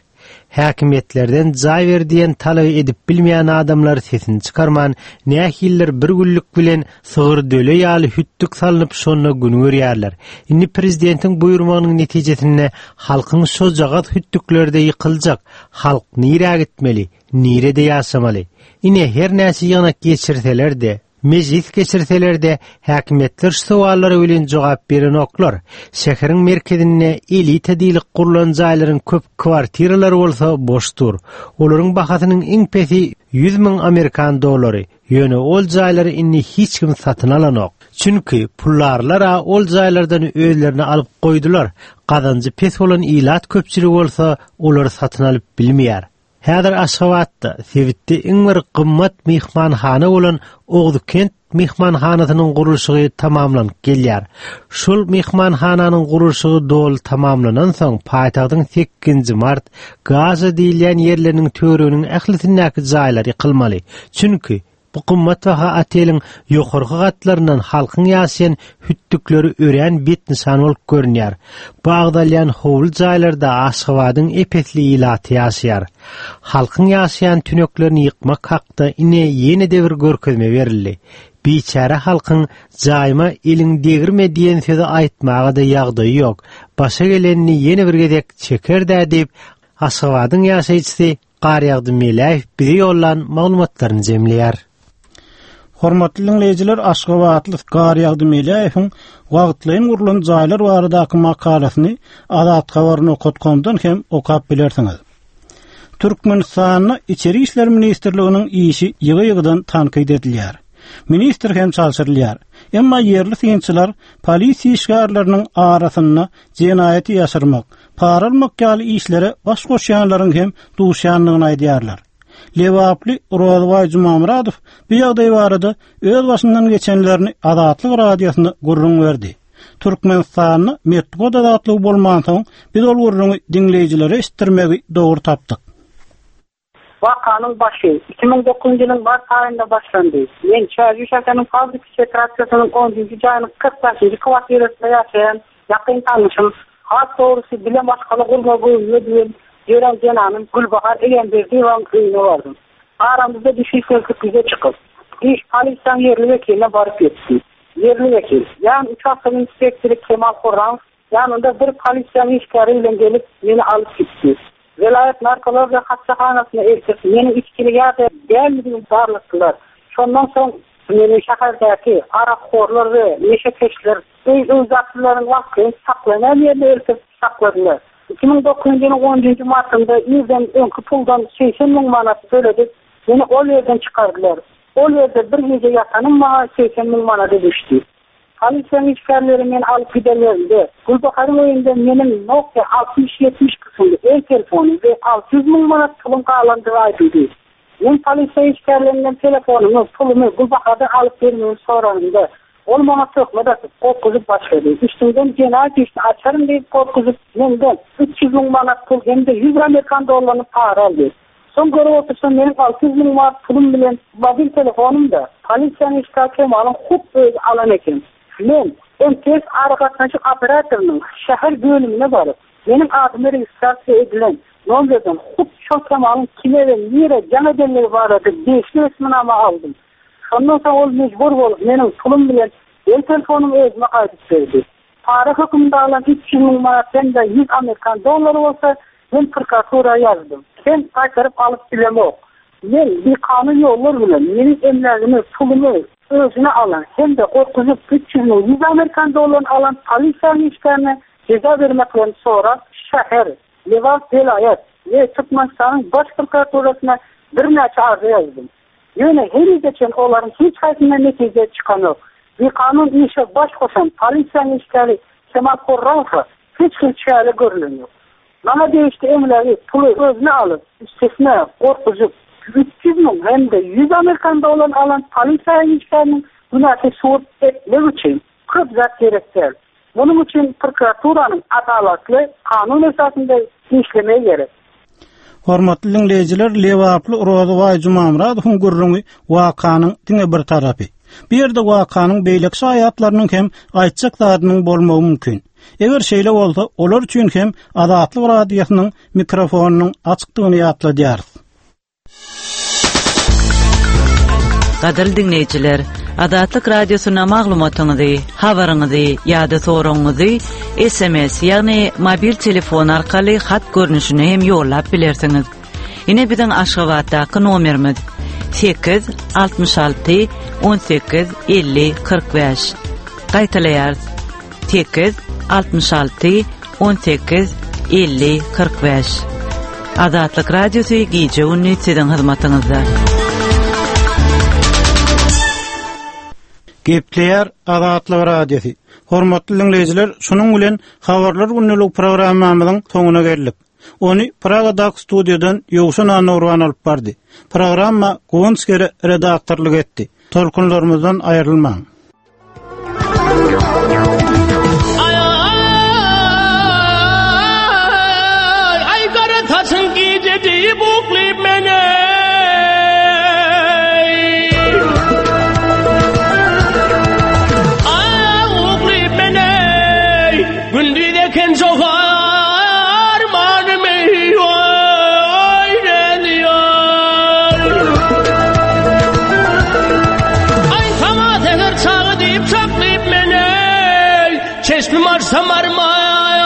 Häkimiýetlerden jaý ber diýen talaby edip bilmeýän adamlar sesini çykarman, nähilidir bir günlük bilen sygyr döle ýaly hütdük salnyp şonda gün görýärler. Indi prezidentiň buýurmagynyň netijesinde halkyň şojagaz hütdükleri-de ýykyljak, Halk nirä gitmeli, nirede ýaşamaly? Ine, her näçe ýygnak geçirseler-de, mejlis geçirseler-de, häkimiýetler şu sowallara welin jogap berenoklar. Şäheriň merkezinde elita diýlip gurlan jaýlaryň köp kwartiralary bolsa boş dur. Olaryň bahasynyň iň pesi 100 müň amerikan dollary. Ýöne ol jaýlary indi hiç kim satyn alanok. Çünki puldarlar-a ol jaýlardan özlerine alyp goýdular, gazanjy pes bolan ilat köpçüligi bolsa olary satyn alyp bilmeýär. Häzir Aşgabatda, sebitde iň bir gymmat myhmanhana bolan Oguzkent myhmanhanasynyň gurluşygy tamamlanyp gelýär. Şol myhmanhananyň gurluşygy doly tamamlanansoň, paýtagtyň sekizinji mart, Gaza diýilýän ýerleriniň töwereginiň ählisindäki jaýlar ýykylmaly. Çünki, bu gymmatbaha oteliň ýokarky gatlaryndan halkyň ýaşaýan hütdükleri örän betnyşan bolup görünýär. Bu agzalýan howly jaýlarda Aşgabadyň ep-esli ilaty ýaşaýar. Halkyň ýaşaýan tüneklerini ýykmak hakda ine ýene-de bir görkezme berildi. Biçäre halkyň jaýyma eliň degirme diýen sözi aýtmaga-da ýagdaýy ýok. Başa gelenini ýene bir gezek çeker-dä diýip, Aşgabadyň ýaşaýjysy Garýagdy Meläýew bize ýollan maglumatlaryny jemleýär. Hormatly diňleýjiler, aşgabatly Garýagdy Meläýewiň wagtlaýyn gurlan jaýlar baradaky makalasyny Azathabar nokat komdan hem okap bilersiňiz. Türkmenistanda Içeri işler ministrliginiň işi ýygy-ýygydan tankyt edilýär. Ministr hem çalşyrylýar. Emma ýerli synçylar polisiýa işgärleriniň arasynda jenaýaty ýaşyrmak, para almak ýaly işlere baş goşýanlaryň hem duşýandygyny aýdýarlar. Lebaply Rozybaý Jumamyradow bu ýagdaý barada öz başyndan geçenlerini Azatlyk Radiosyna gürrüň berdi. Türkmenistanda metbugat azatlygy bolmansoň, biz ol gürrüňi diňleýjilere eşitdirmegi dogry tapdyk. Wakanyň başy 2009-njy ýylyň mart aýynda başlandy. Men Çärjew şäheriniň fabriki şetraksiýasynyň onunjy jaýynyň 45-nji kwartirasynda ýaşaýan ýakyn tanyşym, has dogrusy bile maşgala gurmagy göwnüme düwen ýören zenanym Gülbahar Egemberdiýewanyň öýüne bardym. Aramyzda düşünişmezlik ýüze çykyp, iş polisiýanyň ýerli wekiline baryp ýetdi. Ýerli wekil, ýagny uçastok inspektory Kemal Hurramow ýanynda bir polisiýanyň işgäri bilen gelip, meni alyp gitdi. Welaýat narkologiýa hassahanasyna eltip, meniň içgili ýa-da däldigimi barlatdylar. Şondan soň meni şäherdäki arakhorlar we neşekeşler öý-öýdäkileriň wagtlaýyn saklanýan ýerine eltip sakladylar. 2009-njy ýylyň onunjy martynda irden öňki puldan 80 müň manat töledip, meni ol ýerden çykardylar. Ol ýerde bir gije ýatanym maňa 80 müň manada düşdi. Polisiýanyň işgärleri meni alyp gidenlerinde, Gülbaharyň öýünde meniň Nokia 6070 kysymly el telefony we 600 müň manat puluň galandygy aýdyldy. Men polisiýa işgärlerinden telefonymy, pulumy Gülbahardan alyp bermegini soranymda, ol maňa töhmet atyp, gorkuzyp başlady. Üstüňden jenaýat işini açaryn diýip gorkuzyp, menden 300 müň manat pul hem-de 100 amerikan dollaryny para aldy. Soň görüp otursam meniň 600 müň manat pulum bilen mobil telefonym-da polisiýanyň işgäri Kemalyň hut özi alan eken. Men MTS aragatnaşyk operatorynyň şäher bölümine baryp, meniň adyma registrasiýa edilen nomerden hut şol Kemalyň kime we nirä jaň edenligi barada degişli resminama aldym. Şondan soň ol mejbur bolup meniň pulum bilen el telefonymy özüme gaýdyp berdi. Para hökmünde alan 300 müň manat hem-de 100 amerikan dollary bolsa men prokuratura ýazdym. Hem gaýtaryp alyp bilemok. Men bikanun ýollar bilen meniň emlägimi, pulumy özüne alan hem-de gorkuzyp 300 müň 100 amerikan dollaryny alan polisiýanyň işgärine jeza bermeklerini sorap şäher, Lebap welaýat we Türkmenistanyň Baş prokuraturasyna birnäçe arza ýazdym. Ýöne henize çen olaryň hiç haýsyndan netije çykanok. Bikanun işe baş goşan polisiýanyň işgäri Kemal Horramowa hiç hili çäre görlenok. Maňa degişli emlägi, puly özüne alyp, üstesine gorkuzyp, 300 müň hem-de 100 amerikan dollaryny alan polisiýa işgäriniň günäsini subut etmek üçin köp zat gerek däl. Munuň üçin prokuraturanyň adalatly, kanun esasynda işlemegi gerek. Hormatly diňleýjiler, lebaply Rozybaý Jumamyradowyň gürrüňi wakanyň diňe bir tarapy. Bu ýerde wakanyň beýleki şaýatlarynyň hem aýtjak zadynyň bolmagy mümkin. Eger şeýle bolsa, olar üçin hem Azatlyk Radiosynyň mikrofonynyň açykdygyny ýatladýarys. Gadyrly diňleýjiler, Azatlyk Radiosyna maglumatyňyzy, habaryňyzy ýa-da soragyňyzy SMS, ýagny mobil telefon arkaly hat görnüşinde hem ýollap bilersiňiz. Ine biziň Aşgabatdaky nomerimiz 8 66 18 50 45. Gaýtalaýarys. 8 66 18 50 45. Azatlyk Radiosy gije-gündiz siziň hyzmatyňyzda. Gepleýär Azatlyk Radiosy. Hormatly diňleýjiler, şunuň bilen Habarlar gündelik programmamyzyň soňuna geldik. Ony Pragadaky studiýadan Ýowşan Annagurban alyp bardy. Programma Guwanç Gere redaktorlyk etdi. Tolkunlarymyzdan aýrylmaň. Ay gara taşın gece deyip uklayıp mene. Ay uklayıp mene. Gündüz eken çok armanım Aý saňa seher çagy diýip çaklyp men-eý, Çeşmim açsam arman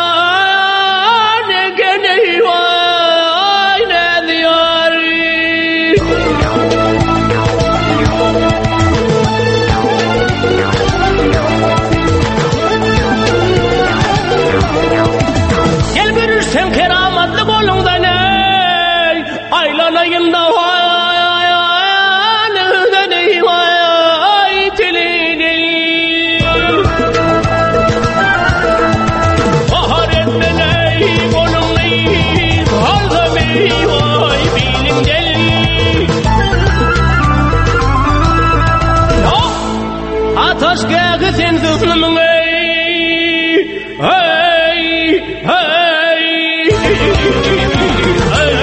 eken-eý, waý näzýar. Gel görüşsem keramatly goluňdan-eý, Aýlanaýyn-da Ataş gähi sen zühlümüň ey, hey, hey, hey.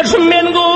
Başym men.